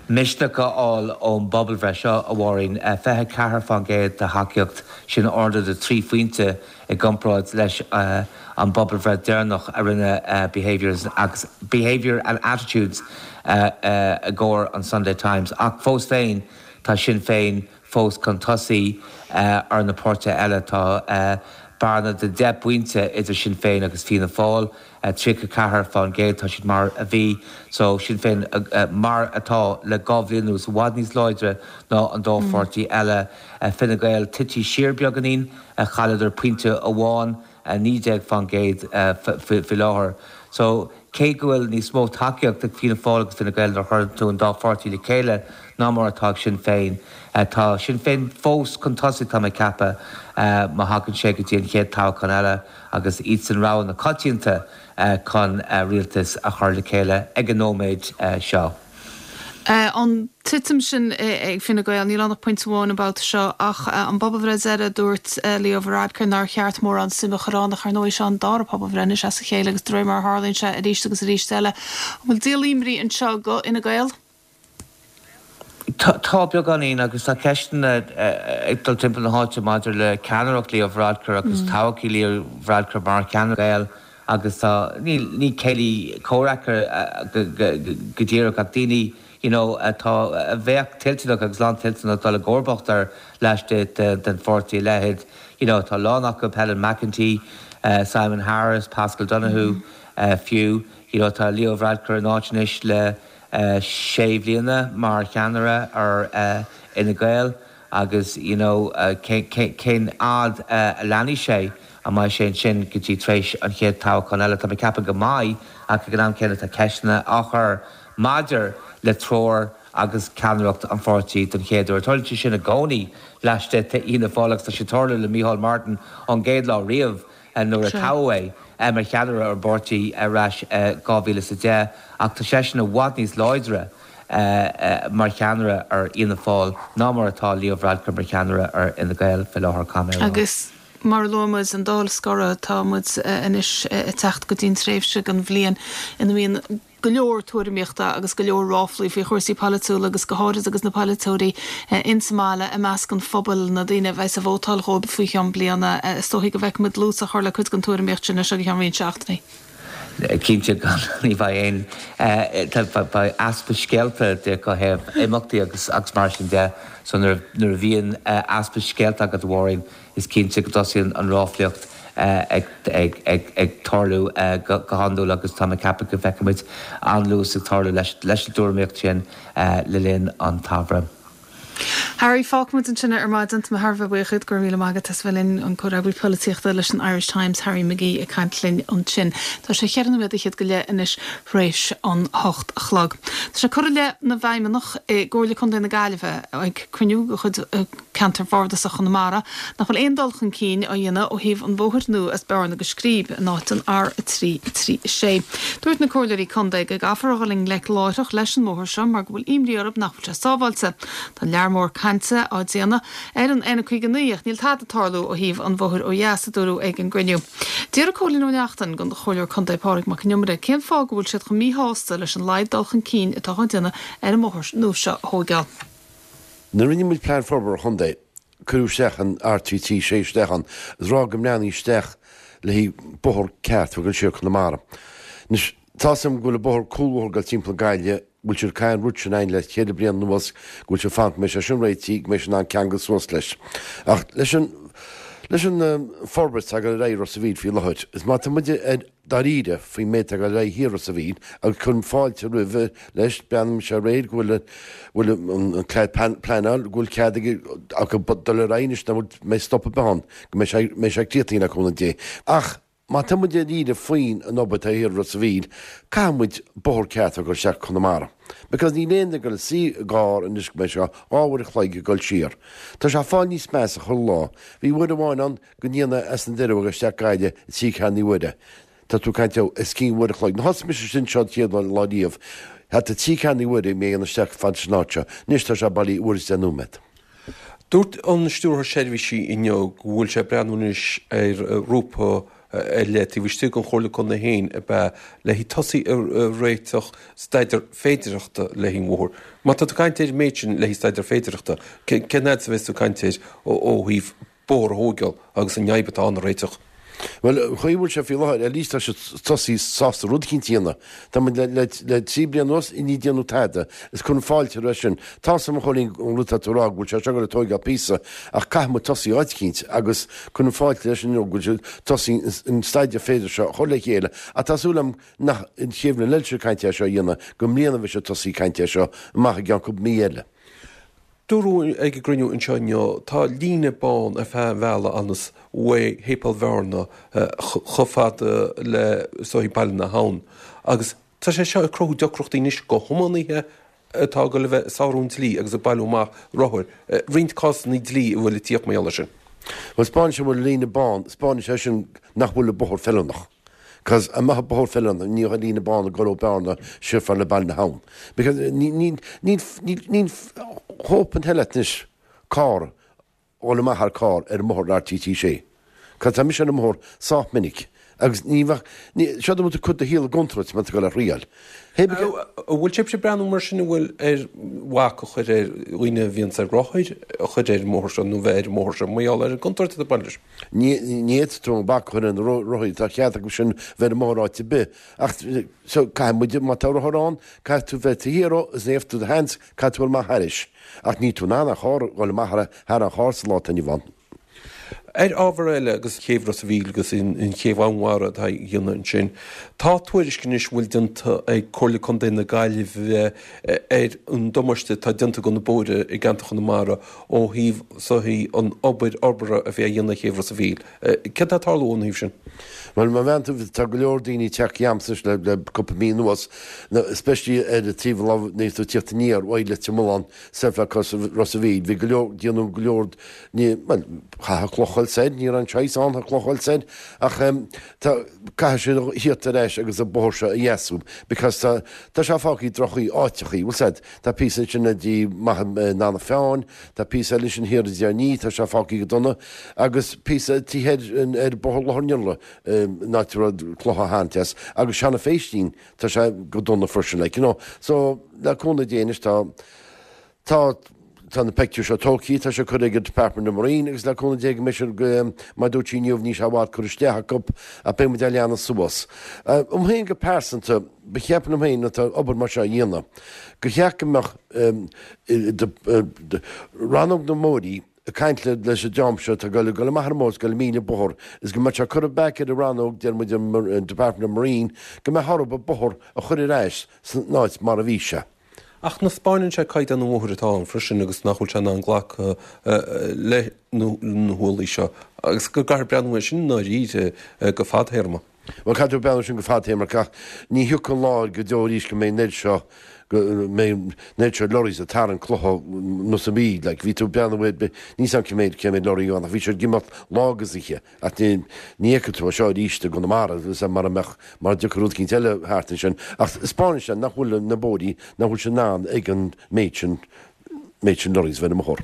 misneach a fháil ón bpobalbhreith seo, a Mháirín. 24% de thacaíocht, sin ardú de thrí phointe i gcomparáid leis an bpobalbhreith deireanach a rinne Behaviours agus Behaviour and Attitudes i gcomhair an Sunday Times. Ach fós féin, tá Sinn Féin fós chun tosaigh ar na páirtithe eile. Tá bearna de 10 bpointe idir Sinn Féin agus Fianna Fáil. 34%, tá siad mar a bhí. So, Sinn Féin mar atá le 2 bhliain anuas, i bhfad níos láidre ná an dá pháirtí eile. Fine Gael tití siar beagáinín, chailleadar pointe amháin, 19% faoi láthair. So, cé go bhfuil níos mó tacaíocht ag Fianna Fáil agus Fine Gael nuair a chuireann tú an dá pháirtí le chéile ná mar atá ag Sinn Féin, tá Sinn Féin fós chun tosaigh, tá mé ag ceapadh, má thagann sé go dtí an chéad toghchán eile. agus iadsan rogha na coitianta chun rialtas a chur le chéile ag an nóiméad seo. An titim sin ag Fine Gael, níl ann ach pointe amháin an babhta seo, ach an bpobalbhreith deiridh, dúirt Leo Varadkar nár cheart mórán suime a chur ann, ach ar ndóigh seo an dara pobalbhreith anois as a chéile agus de réir mar a tharlaíonn sé arís agus arís eile, an bhfuil díol imní anseo do Fhine Gael? Tá, beagáinín, agus tá ceisteanna ag dul timpeall na háite maidir le ceannaireacht Leo Varadkar agus todhchaí Leo Varadkar mar cheannaire Fhine Gael agus tá, ní céilí comhraic go díreach ach daoine you know atá, a bheadh toilteanach agus lántoilteanach dul i gcomharbacht air laistigh den pháirtí, a leithéid, you know tá a lán acu, Helen McEntee, Simon Harris, Paschal Donohoe fiú, you know tá Leo Varadkar in áit anois le sé bhliana mar cheannaire ar Fhine Gael agus you know cén fhad a leanfaidh sé, an mbeidh sé ansin go dtí tar éis an chéad toghchán eile? Tá mé ag ceapadh go mbeidh ach ag an am céanna tá ceisteanna á chur maidir le treoir agus ceannaireacht an pháirtí don chéad uair. Tarlaíonn sé sin i gcónaí laistigh d'Fhianna Fáil agus tá sé ag tarlú le Micheál Martin ón gcéad lá riamh. nuair a toghadh é mar cheannaire ar an bpáirtí ar ais i 2010 ach tá seisean i bhfad níos láidre mar cheannaire ar Fhianna Fáil ná mar atá Leo Varadkar mar cheannaire ar Fhine Gael fé láthair, caithfidh mé a rá. Agus mar a luaigh muid, an Dáil scortha, tá muid anois ag teacht go dtí an tréimhse den bhliain ina mbíonn go leor tuairimíochta agus go leor ráflaí faoi chúrsaí polaitiúla agus go háirid agus na polaiteoirí ins an mbaile, i measc an phobail, na daoine a bheas ag vótáil dhóibh faoi cheann bliana. Is dóichí go bhfeicfidh muid dlús á chur le cuid den tuairimíocht sin as seo go ceann roinnt seachtainí. Cinnte, gan, ní bheidh aon, beidh easpa scéalta de ó thaobh imeachtaí agus agus mar sin de. So nuair a bhíonn easpa scéalta agat, a Mháirín, Is cinnte go dtosaíonn an ráflaíocht ag tarlú go hiondúil agus tá mé ag ceapadh go bhfeicfidh muid an-luas ag tarlú leis an dtuairimíocht sin le linn an tsamhraidh. Harry, fágfaidh muid ansin é ar maidin. Tá mé thar a bheith buíoch díot. Go raibh míle maith agat as a bheith linn, an comhfhreagraí polaitíochta leis an Irish Times, Harry McGee ag caint linn ansin. Tá sé cheithre nóiméad fhichead go leith anois th'réis an hocht a chlog. Tá sé curtha i leith na bhfeidhmeannach i gComhairle Contae na Gaillimhe ag cruinniú de chuid Ceantar Bhardasach Chonamara, nach bhfuil aon dul chun cinn á dhéanamh ó thaobh an bhóthair nua as Bearna go Scríb in áit an R3 3 6. Dúirt na Comhairleoirí Contae go gcaithfear a dhul i ngleic láithreach leis an mbóthar seo mar go bhfuil imní orthu nach bhfuil sé sábháilte. Tá lear mór cainte. cainte á déanamh ar an N59 ach níl tada ag tarlú ó thaobh an bhóthair ó dheas, a dúradh ag an gcruinniú. D'fhiafraigh Cóilín Ó Neachtain den Chomhairleoir Contae Pádraig Mac Con Iomaire cén fáth go bhfuil siad chomh míshásta leis an laghad dul chun cinn atá á déanamh ar an mbóthar nua seo a thóigeáil. Nuair a rinne muid Plean Forbartha Chontae, cuireadh isteach an R336 isteach ann is rá go mbreathnaí isteach le haghaidh bóthar ceart a bheith ag dul siar Conamara. Anois, tá's agam go bhfuil an bóthar cúlbhóthar ag dul timpeall na Gaillimhe, go bhfuil siad ag caitheamh an rud sin againn le ceithre bliana anuas, go bhfuil siad ag fanacht go mbeidh sé sin réitithe, go mbeidh sé in ann ceangal suas leis. Ach leis an, leis an forbairt atá ag dul ar aghaidh i Ros a' Mhíl faoi láthair, is má tá muid ar dáiríre faoin méid atá ag dul ar aghaidh thiar i Ros a' Mhíl, agus cuirim fáilte roimhe leis, breathnaíonn sé réidh go bhfuil, bhfuil an pleanáil, go bhfuil cead ag, acu dul ar aghaidh anois, nach bhfuil, mbeidh stop ar bith ann, go mbeidh sé, mbeidh sé críochnaithe le cúnamh Dé. Ach. Má tá muid dáiríre faoin an obair atá thiar i Ros a' Mhíl, caithfidh muid bóthar ceart a dhul isteach Conamara. Because níl aon duine ag dul a suí i gcarr anois go mbeidh sé 2 uair a chloig ag dul siar. Tá sé ag fáil níos measa chuile lá. Bhí uair amháin ann go ndéanadh as na Doireabha isteach Gaillimh i trí ceathrú na huaire. Tá tú ag caint os cionn uair a chloig. Nuair thosaigh mise anseo an chéad lá riamh, thart ar trí ceathrú na huaire mé a dhéanamh isteach fad leis an áit seo. Anois tá sé bailí uair is deich nóiméad. Dúirt an Stiúrthóir Seirbhísí inniu go bhfuil sé ag breathnú anois ar ghrúpa ar leith taobh istigh den Chomhairle Contae féin ab ea le haghaidh tosaí ag réiteach staidéar féidearthachta le haghaidh an bhóthair. Má tá tú ag caint ar an méid sin le haghaidh staidéar féidearthachta, cén fhad is a bheas tú ag caint air ó thaobh bóthar a thóigeáil agus an fhadhb atá ann a réiteach. Bhuel, an chaoi a bhfuil sé faoi láthair, at least tá siad tosaí sásta rud eicínt a dhéanamh. Tá muid le, le, le 3 bliana anuas i ndiaidh déanamh tada, is cuirim fáilte roimhe sin. Tá's agam a Chóilín an rud atá tú a rá go bhfuil sé seo ag dul ag tóigeáil píosa, ach caithfidh muid tosaí áit eicínt agus cuirim fáilte leis inniu go bhfuil siad tosaí an staidéar féideartha seo a chur le chéile ach tá súil agam nach an chéad bhliain eile siad ag caint é seo a dhéanamh, go i mbliana a bheidh siad tosaí ag caint é seo amach i gceann cúpla mí eile. Dúradh ag an gcruinniú anseo inniu, tá líne bán ar feadh an bhealaigh anuas uaidh Shéipéal Bhearna chomh fada le is dóigh Baile na hAbhann agus tá sé seo ag cruthú deacrachtaí anois go thiománaithe atá ag dul a bheith ag sárú an dlí agus ag bailiú amach rothair, roinnt cásanna dlí a bhfuil ag tíocht mar gheall air sin. Bhuel, 'spáineann sé go bhfuil líne bán, 'spáineann sé sin nach bhfuil an bóthar feiliúnach. Cos dá mbeadh an bóthar feiliúnach ní bheadh líne bán ag dul ó Bearna siar fad le Baile na hAbhann. Because ní, ní, ní, ní, ní hope in hell anois carr dhul amach thar carr ar an mbóthar R336. Cos tá mise ar an mbóthar sách minic agus ní bheadh, ní, seo go bhfuil tú ag cur do shaol i gcontúirt má tá tú ag dul ar thriail. An bhfuil sibhse ag breathnú mar sin an bhfuil ar bhac a chur ar dhaoine a bhíonns ar rothair a chur ar an mbóthar seo nó bheith ar an mbóthar seo mar gheall ar an gcontúirt atá ag baint leis? Ní fhéadfaidh tú an bac a chur ar na rothaí, tá cead acu sin bheith ar an mbóthar áit ar bith. Ach so caithfidh muid, má tá rothar ann, caithfidh tú bheith taobh thiar dhó is ní fhéadfaidh tú do sheans, caithfidh tú dul amach thairis. Ach níl tú in ann an charr a dhul amach thar an charr sa lá atá inniu ann. Ar ábhar eile, agus céibh Ros a' Mhíl agus an chéibh Fhonnmhara atá á dhéanamh ansin, tá tuairisc anois a bhfuil déanta ag Comhairle Contae na Gaillimhe ar an damáiste atá déanta do na bóithre i gceantar Chonamara ó thaobh soithí an obair fhorbartha a bhí á dhéanamh ar chéibh Ros a' Mhíl. Céard atá ag tarlú ón thaobh sin? Bhuel, má bheann tú, tá go leor daoine ag teacht chugamsa anois le cúpla mí anuas, especially ar an taobh an lámh nuair atá tú ag tíocht aniar uaidh Leitir Mealláin soir feadh Ros a' Mhíl. Bhí go leor, déanadh go leor Ní, bhuel, chaithfeadh cloch a dhul soir, ní raibh an saghas ann chun cloch a dhul soir, ach tá, caithfidh siad a thíocht ar ais agus an bóthar seo a dheasú because tá, tá sé fágtha i droch-chaoi áiteachaí, bhfuil 's a'd, tá píosa ansin le dtí amach in Eanach Mheáin, tá píosa eile ansin thiar i dTír an Fhia, tá sé fágtha go dona, agus píosa taobh thoir ar Bhóthar Loch an Iarla, in áit a raibh clocha á tharraingt as, agus Seanadh Phéistín, tá sé go dona freisin, like, you know. So, le cúnamh Dé anois tá, Tá, tá na pictiúir seo tógtha, tá sé curtha ag an Department of Marine agus le cúnamh Dé go mbeidh siad, mar a dúirt sí inniu, níl sé i bhfad curtha isteach acu ach beidh muid á leanadh suas. Dom féin go pearsanta, ba cheart liom féin atá obair mar seo a dhéanamh, gur cheart go mbeadh rannóg na mbóithrí ag caint leis an dream seo atá ag dul, ag dul amach ar an mbóthar is ag dul ag míle bóthar is go mbeadh sé curtha back ar an rannóg, deir muid an Department of Marine, go mbeadh orthu an bóthar a chur ar ais san áit mar a bhí sé. Ach nach 'spáineann sé caighdeán an bhóthair atá ann freisin agus nach bhfuil sé in ann glacadh leis na hualaí seo agus go gcaithfear breathnú air sin i ndáiríre go fadthéarma. Bhuel, caithfidh tú breathnú air sin go fadtéarmach ach ní thiocfaidh an lá go deo arís go mbeidh an oiread seo, go mbeidh an oiread seo lorries ag tarraingt clocha anuas an Mhíl. Like, bhí tú ag breathnú ar, níl 's a'm cé mhéad, cé mhéad lorry ann ach bhí siad ag imeacht lá agus oíche. Ach ní fheicfidh tú é seo arís i gConamara, mara mbeadh, mara dtiocfaidh rud eicínt eile thart ansin. Ach 'spáineann sé nach bhfuil na bóithrí, nach bhfuil sé in ann ag an méid sin, méid sin lorries bheith ar an mbóthar.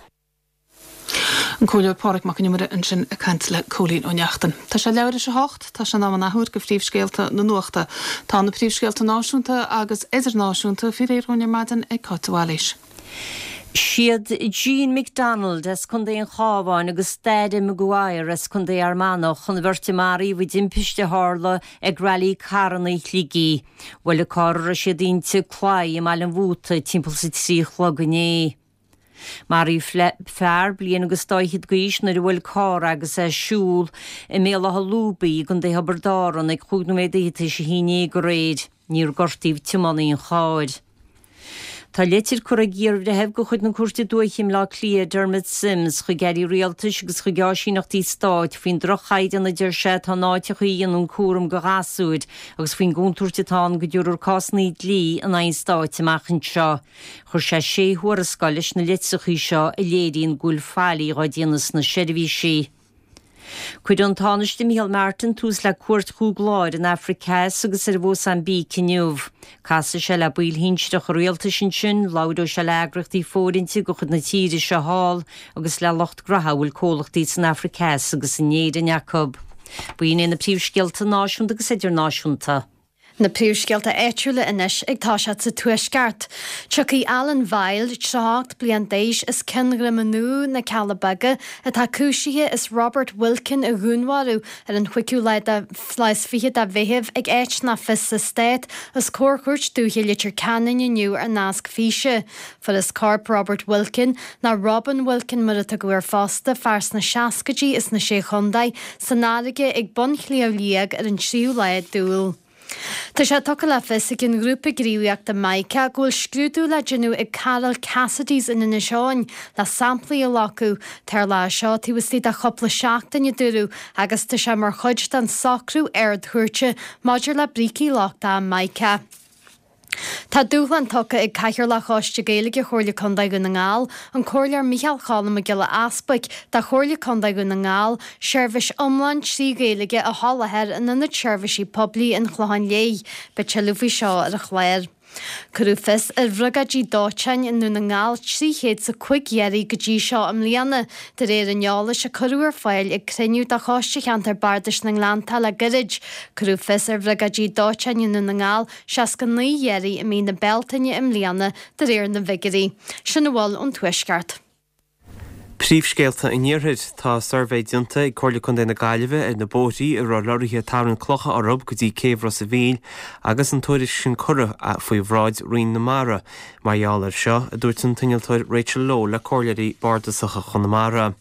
An Comhairleoir Pádraig Mac Con Iomaire ansin ag caint le Cóilín Ó Neachtain. Tá sé leathuair théis a hocht, tá sé in am an athuair do phríomhscéalta na nuachta. Tá na príomhscéalta náisiúnta agus idirnáisiúnta faoi réir dhúinn ar maidin ag Cáit de Bhailís. Siad Jean McDonald as Contae an Chabháin agus Daire Maguire as Contae Fhear Manach an bheirt a maraíodh i dtimpiste a tharla ag Railí Carranna Shligigh. Bhuail an carr a raibh siad inti claí i mBaile an Mhóta timpeall is a 3 a chlog inné. Maraíodh fear bliain agus dá fhichead d'aois nuair a bhuail carr é agus é ag siúl i mBéal Átha Lúbaí i gContae Thiobraid Árann ag chúig nóiméad fhichead tar éis a haon déag aréir. Níor gortaíodh tiománaí an chairr. Tá leitir curtha ag iarbhreitheamh de chuid na Cúirte Dúiche i mBleá Cliath, Dermot Simms, chuig airí rialtais agus chuig áisíneachtaí stáit faoin droch-chaighdeán a deir sé atá in áiteacha a dhéanann cúram do ghasúir agus faoin gcontúirt atá ann go dtabharfar cásanna dlí in aghaidh an stáit amach anseo. Chuir sé sé thuarascáil leis na litreacha seo a léiríonn go bhfuil faillí dhá déanamh sna seirbhísí. Cuirfidh an Tánaiste Micheál Martin tús le cuairt chúig lá ar an Afraic Theas agus ar an Mhósaimbíc inniu. Casfaidh sé le baill shinsearacha rialtais ansin, labhróidh sé le heagraíochtaí fóirithinte de chuid na tíre seo thall agus le lucht graithe a bhfuil comhlachtaí san Afraic Theas agus in Éirinn acu. B'in iad na príomhscéalta náisiúnta agus idirnáisiúnta. Na príomhscéalta áitiúla anois ag toiseacht sa Tuaisceart. Tiocfaidh Alan Vile, 38 bliain d'aois, as Cionn Dhroim Nua, Na Cealla Beaga, atá cúisithe as Robert Wilkin a dhúnmharú ar an chúigiú lá de lá is fiche de Mheitheamh ag áit nach fios sa Stát, os comhair Chúirt Dúiche Leitir Ceanainn inniu ar nasc físe. Fuarthas corp Robert Wilkin, nó Robin Wilkin mar a tugadh air fosta, fear sna seascaidí as na Sé Chontae, san fharraige ag bun Shliabh Liag ar an tríú lá d'Iúil. Tá sé tugtha le fios ag an ghrúpa gníomhaíochta Mica go bhfuil scrúdú le déanamh ag Carol Cassidy's in Inis Eoghain le samplaí a ghlacadh. Tarlóidh seo taobh istigh de chúpla seachtain, a dúradh, agus tá sé mar chuid den socrú Ard-Chúirte maidir le brící lochtacha Mica. Tá dúshlán tugtha ag Cathaoirleach Choiste Gaeilge Chomhairle Contae Dhún na nGall, an Comhairleoir Micheál Cholm Mac Giolla Easbuic, do Chomhairle Contae Dhún na nGall, seirbhís iomlán 3 Ghaeilge a sholáthar in Ionad Seirbhísí Poiblí an Chlocháin Léith. Beidh tuilleadh faoi seo ar an chlár. Cuireadh fios ar bhriogáidí dóiteáin i nDún na nGall 300 's a 5 iarraidh go dtí seo i mbliana, de réir an eolais a cuireadh ar fáil ag cruinniú de Choiste Cheantar Bardais na nGleanntach le gairid. Cuireadh fios ar bhriogáidí dóiteáin i nDún na nGall 69 iarraidh i mí na Bealtaine i mbliana, de réir na bhfigiúirí. Sin a bhfuil ón Tuaisceart. Príomhscéalta an Iarthair. Tá suirbhé déanta ag Comhairle Contae na Gaillimhe ar na bóithrí a raibh lorraithe ag tarraingt clocha orthu go dtí céibh Ros a' Mhíl agus an tuairisc sin curtha faoi bhráid Roinn na Mara mar gheall air seo, a dúirt an t-innealtóir Rachel Lowe le Comhairleoirí Bardasacha Chonamara.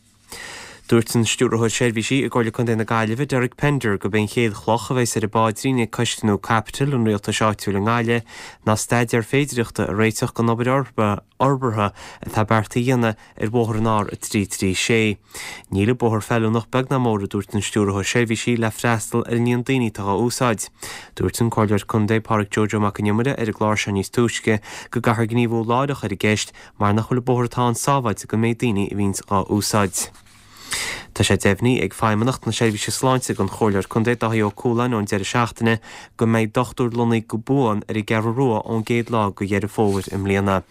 Dúirt an Stiúrthóir Seirbhísí i gComhairle Contae na Gaillimhe, Derek Pender, gurb é an chéad chloch a bheas ar an bpaidrín ag coiste nua caipitil an rialtais áitiúil i nGaillimh ná staidéar féidireachta a réiteach don obair fhorbartha atá beartaithe a dhéanamh ar bhóthar an R336. Níl an bóthar feiliúnach beag ná mór, a dúirt an Stiúrthóir Seirbhísí, le freastal ar an líon daoine atá dhá úsáid. Dúirt an Comhairleoir Contae Pádraig Joe Joe Mac Con Iomaire ar an gclár seo níos túisce go gcaithfear gníomhú láithreach ar an gceist mar nach bhfuil an bóthar atá ann sábháilte don méid daoine a bhíonns dhá úsáid. Tá sé deimhnithe ag Feidhmeannacht na Seirbhíse Sláinte don Chomhairleoir Contae Dáithí Ó Cualáin ón deireadh seachtaine go mbeidh dochtúir lonnaithe go buan ar an gCeathrú Rua ón gcéad lá de Dheireadh Fómhair i mbliana.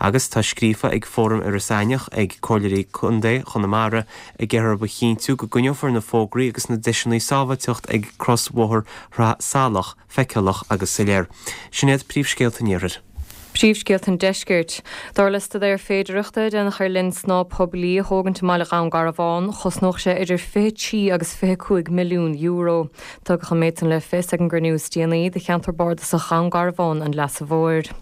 Agus tá scríofa ag Fóram Iorras Aithneach ag Comhairleoirí Contae Chonamara ag iarraidh orthu a chinntiú go gcoinneofar na fógraí agus na deiseanna sábháilteacht ag crosbhóthar Shraith Salach feiceálach agus soiléir. Sin iad príomhscéalta an Iarthair. Príomhscéalta an Deiscirt. Dar le staidéar féidearthachta a déanadh ar linn snámha poiblí a thógaint i mbaile Dhún Garbhán, chosnódh sé idir 23 agus 25 milliún euro. Tugadh an méid san le fios ag an gcruinniú is déanaí de cheantar bardasach Dhún Garbhán an Leasa Mhóir.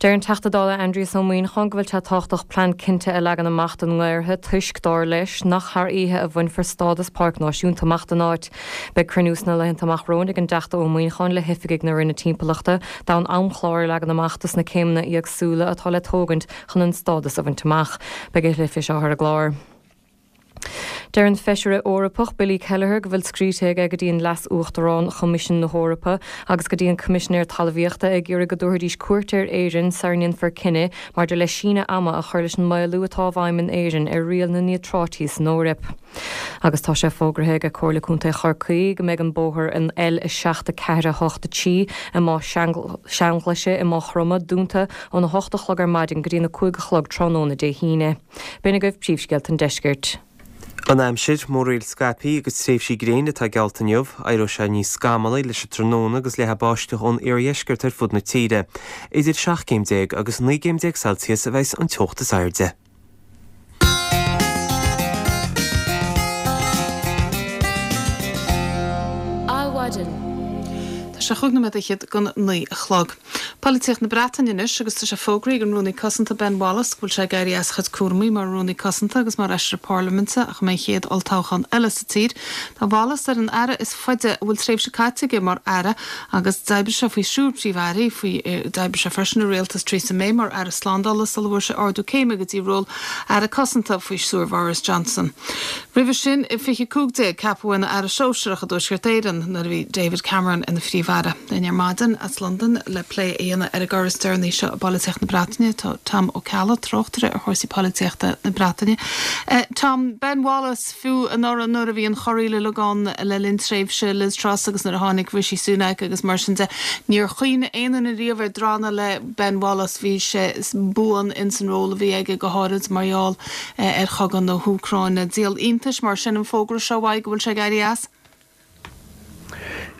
Deir an Teachta Dála Aindrias Ó Muíneacháin go bhfuil sé tábhachtach plean cinnte a leagan amach don nGaorthadh toisc, dar leis, nach thar oíche a bhainfear stádas páirc náisiúnta amach don áit. Beidh cruinniú sna laethanta amach romhainn ag an dTeachta Ó Muíneacháin le hoifigigh na Roinne Timpeallachta d'fhonn amchlár a leagan amach dos na céimeanna éagsúla atá le tógaint chun an stádas a bhaint amach. Beidh a thuilleadh faoi seo ar an gclár. Deir an Feisire Eorpach Billy Kelleher go bhfuil scríte aige go dtí an Leas-Uachtarán Choimisiún na hEorpa agus go dtí an Coimisinéir Talmhaíochta ag iarraidh go dtabharfaidís cuairt ar Éirinn sara ndéanfar cinneadh maidir le síneadh ama a chur leis an maolú atá i bhfeidhm in Éirinn ar riail na níotráití san Eoraip. Agus tá sé fógraithe ag Comhairle Contae Chorcaí go mbeidh an bóthar an L7 4 8 3 i Máigh Seanghlaise i Maigh Chromtha dúnta óna 8 a chlog ar maidin go dtí'n 5 a chlog tráthnóna Dé hAoine. B'in agaibh príomhscéalta an deiscirt. An aimsir, Múraíl scaipthe agus tréimhsí gréine atá geallta inniu. Éireoidh sé níos scamallaí leis an tráthnóna agus leathfaidh báisteach ón iardheisceart ar fud na tíre. Idir 17 céim agus 19 gcéim Celsius a bheas an teocht is airde. Adhmhaidin. Tá sé chúig nóiméad fhichead don naoi a chlog. Polaitíocht na Breataine anois agus tá sé fógraithe ag an Rúnaí Cosanta Ben Wallace go bhfuil sé ag éirí as a chuid cúramaí mar Rúnaí Cosanta agus mar Fheisire Parlaiminte ach a mbeidh an chéad olltoghchán eile sa tír. Tá Wallace ar an aire is faide a bhfuil tréimhse caite aige mar aire agus d'oibrigh sé faoi thriúr príomh-airí, faoi d'oibrigh sé freisin i rialtas Theresa May mar aire slándála sula bhfuair sé ardú céime go dtí ról Aire Cosanta faoi stiúir Bhoris Johnson. Roimhe sin, i 2015, ceapadh é ina Aire Sóisearach i dTuaisceart Éireann nuair a bhí David Cameron ina Phríomh-Aire. Linn ar maidin as Londain le plé a dhéanamh ar an gcor is deireanaí seo i bpolaitíocht na Breataine tá Tom Ó Ceallaigh, tráchtaire ar chúrsaí polaitíochta na Breataine. Tom, Ben Wallace, fiú anuraidh nuair a bhí an chorraíl uilig ann le linn tréimhse Liz Truss agus nuair a tháinig Rishi Sunak agus mar sin de, níor chuimhnigh aon duine riamh ar drannadh le Ben Wallace. Bhí sé buan ins an ról a bhí aige, go háirid mar gheall ar chogadh na hÚcráine. Díol iontais mar sin an fógra seo uaidh go bhfuil sé ag éirí as?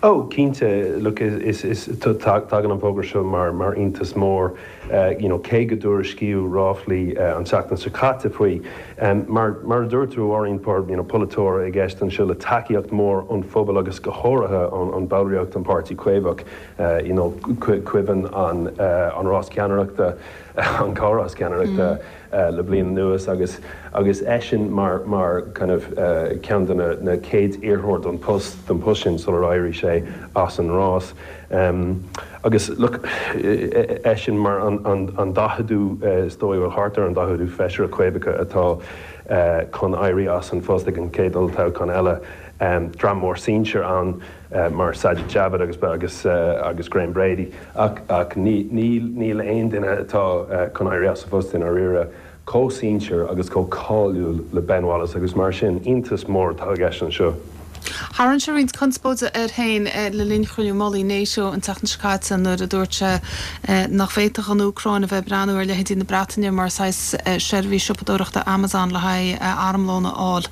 Oh, cinnte, look, is, is, tagann an fógra seo mar, mar iontas mór, you know, cé go dtuairiscíodh ráflaí an tseachtain seo caite faoi. Mar, mar a dúirt tú, a Mháirín, you know, polaiteoir i gceist anseo le tacaíocht mhór ón phobal agus go háirithe ón, ón ballraíocht an Páirtí Caomhach, you know, cuimhin an, an rás ceannaireachta, an comhrás ceannaireachta, le bliain anuas agus agus eisean mar mar kind of ceann de na na chéad iarrthóir don post don post sin sular éirigh sé as an rás. Agus look eisean mar an an an daicheadú is dóigh bhuel thart ar an daicheadú feisire Caomhacha atá chun éirí as an phost ag an chéad olltoghchán eile. Dream mór sinsir ann. mar Sajid Javid agus agus agus Graham Brady ach ach ní níl níl aon duine atá chun éirí as a phost i ndáiríre chomh sinsir agus chomh cáiliúil le Ben Wallace agus mar sin iontas mór atá i gceist anseo. Tharraing sé roinnt conspóide air féin le linn chruinniú mullaigh NATO an tseachtain seo caite nuair a dúirt sé nach bhféadfadh an Úcráin a bheith ag breathnú ar leithéidí na Breataine mar saghas seirbhís siopadóireachta Amazon le haghaidh armlón a fháil.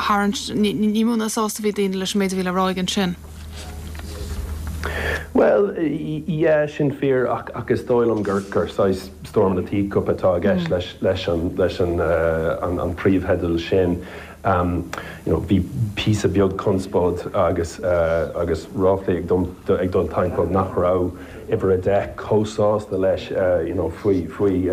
Tharraing, ní mó ná sásta a bhí daoine leis an méid a bhí le rá aige ansin. Bhuel, yeah, sin fíor ach ach is dóigh liom gur gur saghas storm in a teacup atá i gceist leis leis an leis an an an príomhtheideal sin. You know, bhí píosa beag conspóid agus agus ráflaí ag dul ag dul timpeall nach raibh uimhir a deich chomh sásta leis you know faoi faoi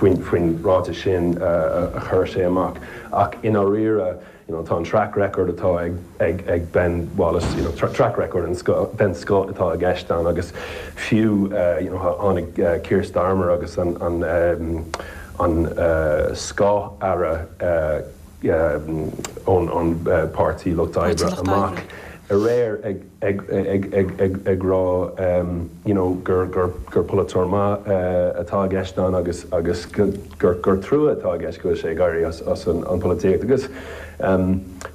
faoin ráiteas sin a chuir sé amach. Ach i ndáiríre, you know, tá an track record atá ag ag ag Ben Wallace, you know, track record den scoth den scoth atá i gceist ann agus fiú you know tháinig Keir Starmer agus an an an scáth-aire ón ón bPáirtí Lucht Oibre amach aréir ag ag ag ag rá you know gur gur gur polaiteoir maith atá i gceist ann agus agus gur gur trua atá i gceist go bhfuil sé ag éirí as as an an pholaitíocht agus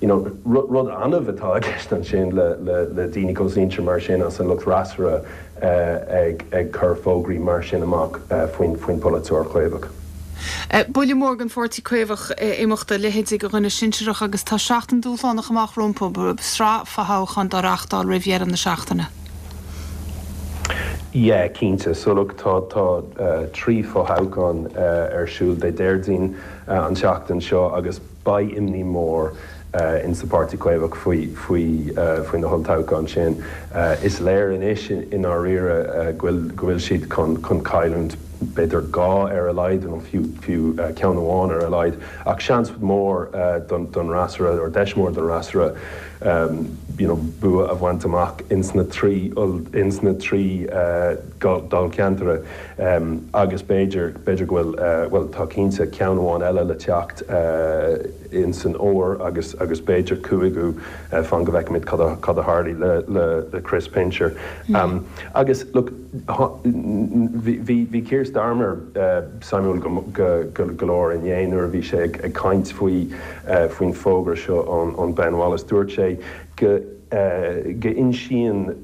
you know rud rud annamh atá i gceist ansin le le le daoine chomh sinsir mar sin as an lucht freasúra ag ag cur fógraí mar sin amach faoin faoin polaiteoir Caomhach. Buille mór don Pháirtí Caomhach imeacht a leithéidí de dhuine sinsearach agus tá seachtain dúshlánach amach rompu, sraith fothoghchán dá reáchtáil roimh dheireadh na seachtaine. Yeah, cinnte. So look, tá tá trí fothoghchán ar siúl Dé Déardaoin an tseachtain seo agus beidh imní mór in sa Páirtí Caomhach faoi faoi faoi na holltoghcháin sin. Is léir anois i ndáiríre go bhfuil go bhfuil siad chun chun cailliúint. b'fhéidir 2 ar a laghad nó fiú fiú ceann amháin ar a laghad ach seans mór don don fhreasúra or deis mhór don fhreasúra you know bua a bhaint amach ins na 3 ins na 3 dáilcheantar agus b'fhéidir b'fhéidir go bhfuil bhuel tá cinnte ceann amháin eile le teacht ins an fhómhar agus agus b'fhéidir cúigiú fan go bhfeicfimid cad a cad a tharlaigh le le le Chris Pincher. Agus look bhí bhí bhí Keir Starmer suimiúil go go go go leor inné nuair a bhí sé ag ag caint faoi faoin fógra seo ón ón Ben Wallace. Dúirt sé go go insíonn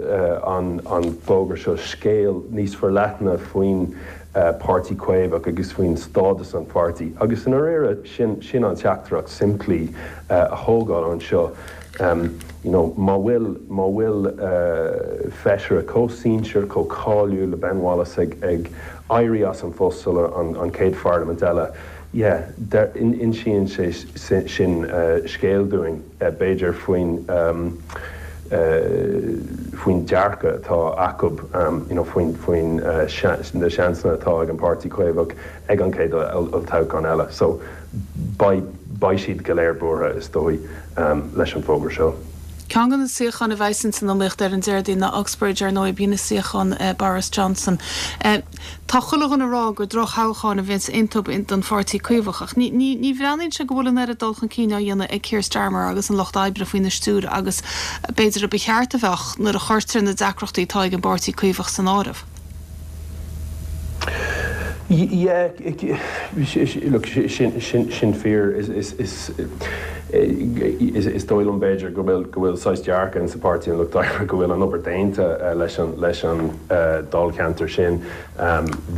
an an fógra seo scéal níos forleithne faoin Páirtí Caomhach agus faoin stádas an pháirtí. Agus i ndáiríre, sin sin an teachtaireacht simplí a thógáil anseo. You know, má bhfuil má bhfuil feisire chomh sinsear, chomh cáiliúil le Ben Wallace ag ag éirí as an phost sula an an chéad pharlaimint eile, yeah, insíonn sé sin scéal dúinn. b'fhéidir, faoin faoin dearcadh atá acu, you know faoin faoin na seansanna atá ag an Páirtí Caomhach ag an chéad olltoghchán eile. So beidh beidh siad go léir buartha, is dóigh, leis an bhfógra seo. Ceann de na suíocháin a bheas ins an iomaíocht ar an Déardaoin ná Uxbridge, ar ndóigh, b'shin suíochán Boris Johnson. Tá chuile dhuine ag rá gur droch-thoghchán a bheas iontu don Pháirtí Caomhach ach ní ní bhreathnaíonn sé go bhfuil an oiread dul chun cinn á dhéanamh ag Keir Starmer agus an Lucht Oibre faoina stiúir agus b'fhéidir a ba cheart a bheadh nuair a chuirtear na deacrachtaí atá ag an bPáirtí Caomhach san áireamh. Yeah, look, sin fíor. Is dóigh liom b'fhéidir go bhfuil go bhfuil saghas dearcadh insa Páirtí an Lucht Oibre go bhfuil an obair déanta leis an leis an dáilcheantar sin.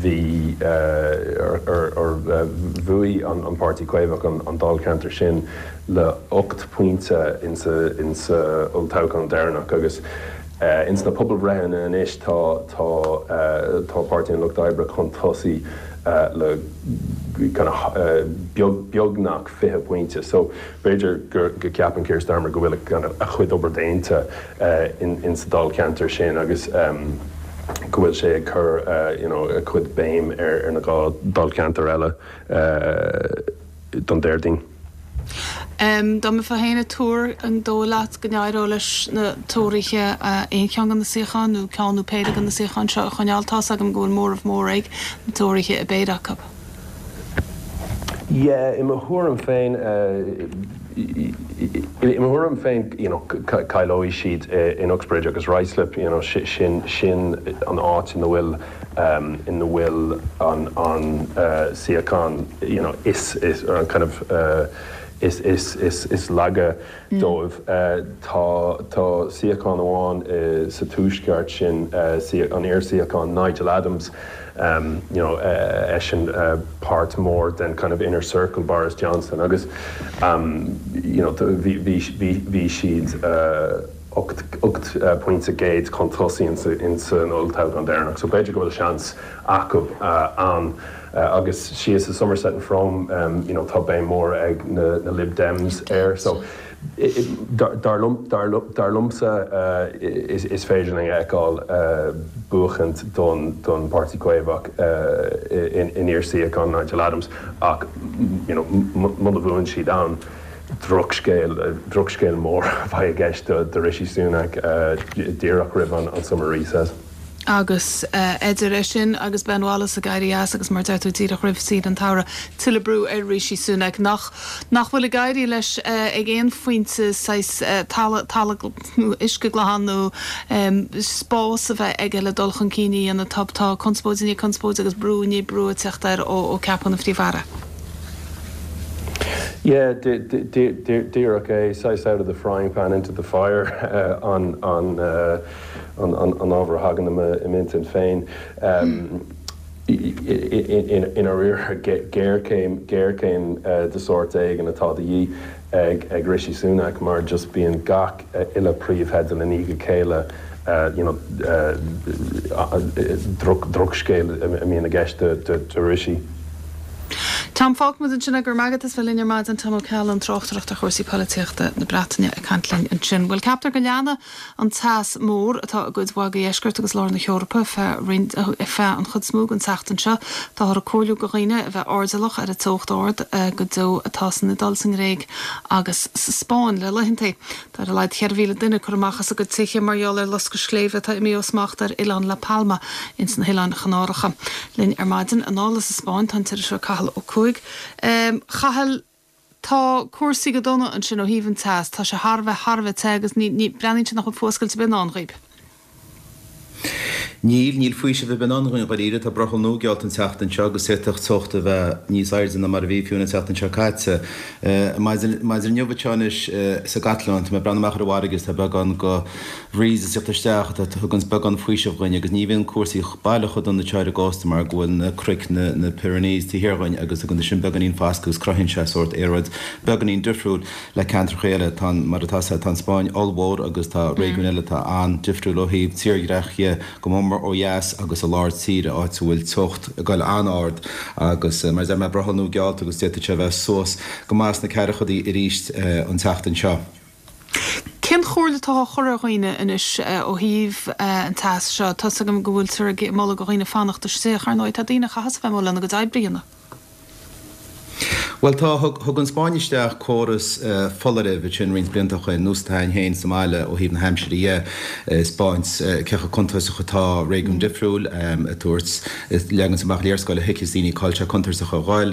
Bhí or bhuaigh an Páirtí Caomhach an dáilcheantar sin le 8 pointe insa insa olltoghchán deireanach agus ins na pobalbhreitheanna anois tá tá tá Páirtí an Lucht Oibre chun tosaigh le kind of beag beagnach 20 pointe. So b'fhéidir go go gceapann Keir Starmer go bhfuil kind of a chuid obair déanta in sa dáilcheantar sin agus go bhfuil sé ag cur you know a chuid béim ar ar na 2 dáilcheantar eile don Déardaoin. Dá mbeifeá féin ag tuar, an dóigh leat go n-éireodh leis na Tóraithe aon cheann de na suíocháin nó ceann nó péire de na suíocháin seo a choinneáil? Tá's agam go bhfuil móramh mór ag na Tóraithe i bpéire acu. Yeah, i mo thuairim féin, i mo thuairim féin, you know, cailleoidh siad in Uxbridge agus Ruislip, you know, sin, sin an áit ina bhfuil, ina bhfuil an, an suíochán, you know, is, is, or an kind of, is, is, is, is laige dóibh. Tá, tá suíochán amháin sa tuaisceart, sin an iar-suíochán Nigel Adams, you know, eisean páirt mór den kind of inner circle Boris Johnson agus you know bhí, bhí, bhí, bhí siad 8, 8 pointe gcéad chun tosaigh insa, an olltoghchán deireanach so b'fhéidir go bhfuil seans acu ann. Agus síos i Somerset and Frome you know tá béim mór ag na, na Lib Dems air so Dar liomsa, is féidir linn a fheiceáil buachaint don Páirtí Caomhach in iar-suíochán Nigel Adams ach you know muna bhuann siad ann, drochscéal, drochscéal mór a bheidh i gceist do Rishi Sunak díreach roimh an summer recess. Agus idir é sin agus Ben Wallace ag éirí as agus, mar a deir tú, díreach roimh saoire an tsamhraidh, tuilleadh brú ar Rishi Sunak, nach nach bhfuil ag éirí leis ag aon phointe saghas talamh, talamh nó uisce glan nó spás a bheith aige le dul chun cinn a dhéanamh. Tá tá conspóid i ndiaidh conspóide agus brú i ndiaidh brú ag teacht air ó ó ceapadh ina Phríomh-Aire. Yeah, díreach é, saghas out of the frying pan into the fire an an an ábhar a thagann i m'intinn féin. I ndáiríre, géarchéim, géarchéim de sórt éigin atá de dhíth ag Rishi Sunak mar just bíonn gach uile príomhtheideal i ndiaidh a chéile, you know, drochscéal a mbíonn i gceist do Rishi. Tom, fágfaidh muid ansin é, go raibh maith agat as bheith linn ar maidin, Tom Ó Ceallaigh, tráchtaireacht ar chúrsaí polaitíochta na Breataine ag caint linn ansin. Bhuel, ceaptar go leanfaidh an teas mór atá i gcuid mhaith de dheisceart agus lár na hEorpa feadh roinnt, feadh an chuid is mó den tseachtain seo. Táthar ag comhairliú do dhaoine a bheith airdeallach ar an teocht ard go deo atá san Iodáil, sa nGréig agus sa Spáinn le laethanta. Tá ar a laghad 4,000 duine curtha amach as a gcuid tithe mar gheall ar loscadh sléibhe atá imithe ó smacht ar oileán La Palma ins na hOileáin Chanáracha. Linn ar maidin anall as an Spáinn tá an t-iriseoir Cathal Ó Cuaig. Chathail, tá cúrsaí go dona ansin ó thaobh an teas. Tá sé thar a bheith, thar a bheith te agus ní, ní, breathnaíonn sé nach bhfuil fuascailt ar bith i ndán dhaoib. Níl, níl faoiseamh ar bith i ndán dhúinn dháiríre. Tá brothall nua geallta an tseachtain seo agus d'fhéadfadh teocht a bheith níos airde ná mar a bhí fiú an tseachtain seo caite. Maidin inniu anseo anois sa gCatalóin, tá mé ag breathnú amach ar an bhfarraige agus tá beagán go bhreeze ag teacht isteach atá thuganns beagán faoiseamh dhuinn agus ní bhíonn cúrsaí baileach chomh dona anseo ar an gcósta mar go bhfuil na cnoic, na na Pyrenees taobh thiar dhuinn agus tugann sin beagáinín foscadh agus cruthaíonn sé sórt aeráid beagáinín difriúil. Le ceantracha eile, tá an, mar atá sé, tá an Spáinn ollmhór agus tá réigiúin eile atá an-difriúil ó thaobh tírdhreach dhe, go mór mór ó dheas agus i lár tíre, áit a bhfuil teocht ag goil an-ard agus, mar a deir mé, brothall nua geallta agus d'fhéadfadh sé a bheith suas go maith sna ceathrachaidí arís an tseachtain seo. Cén chomhairle atá á chur ar dhaoine anois ó thaobh an teas seo? Tá's agam go bhfuiltear ag moladh do dhaoine fanacht istigh, ach ar ndóigh tá daoine a chaitheas a bheith amuigh lena gcuid oibre a dhéanamh. Bhuel tá, thug, thug an Spáinn isteach córas foláirimh ansin roinnt blianta ó shoin, nós atá againn féin sa mbaile ó thaobh na haimsire dhe, ag 'spáint cé chomh contúirteach atá réigiún difriúil, ag tabhairt, ag leagaint amach léarscáil a thuigfeas daoine cá bhfuil sé contúirteach a ghoil.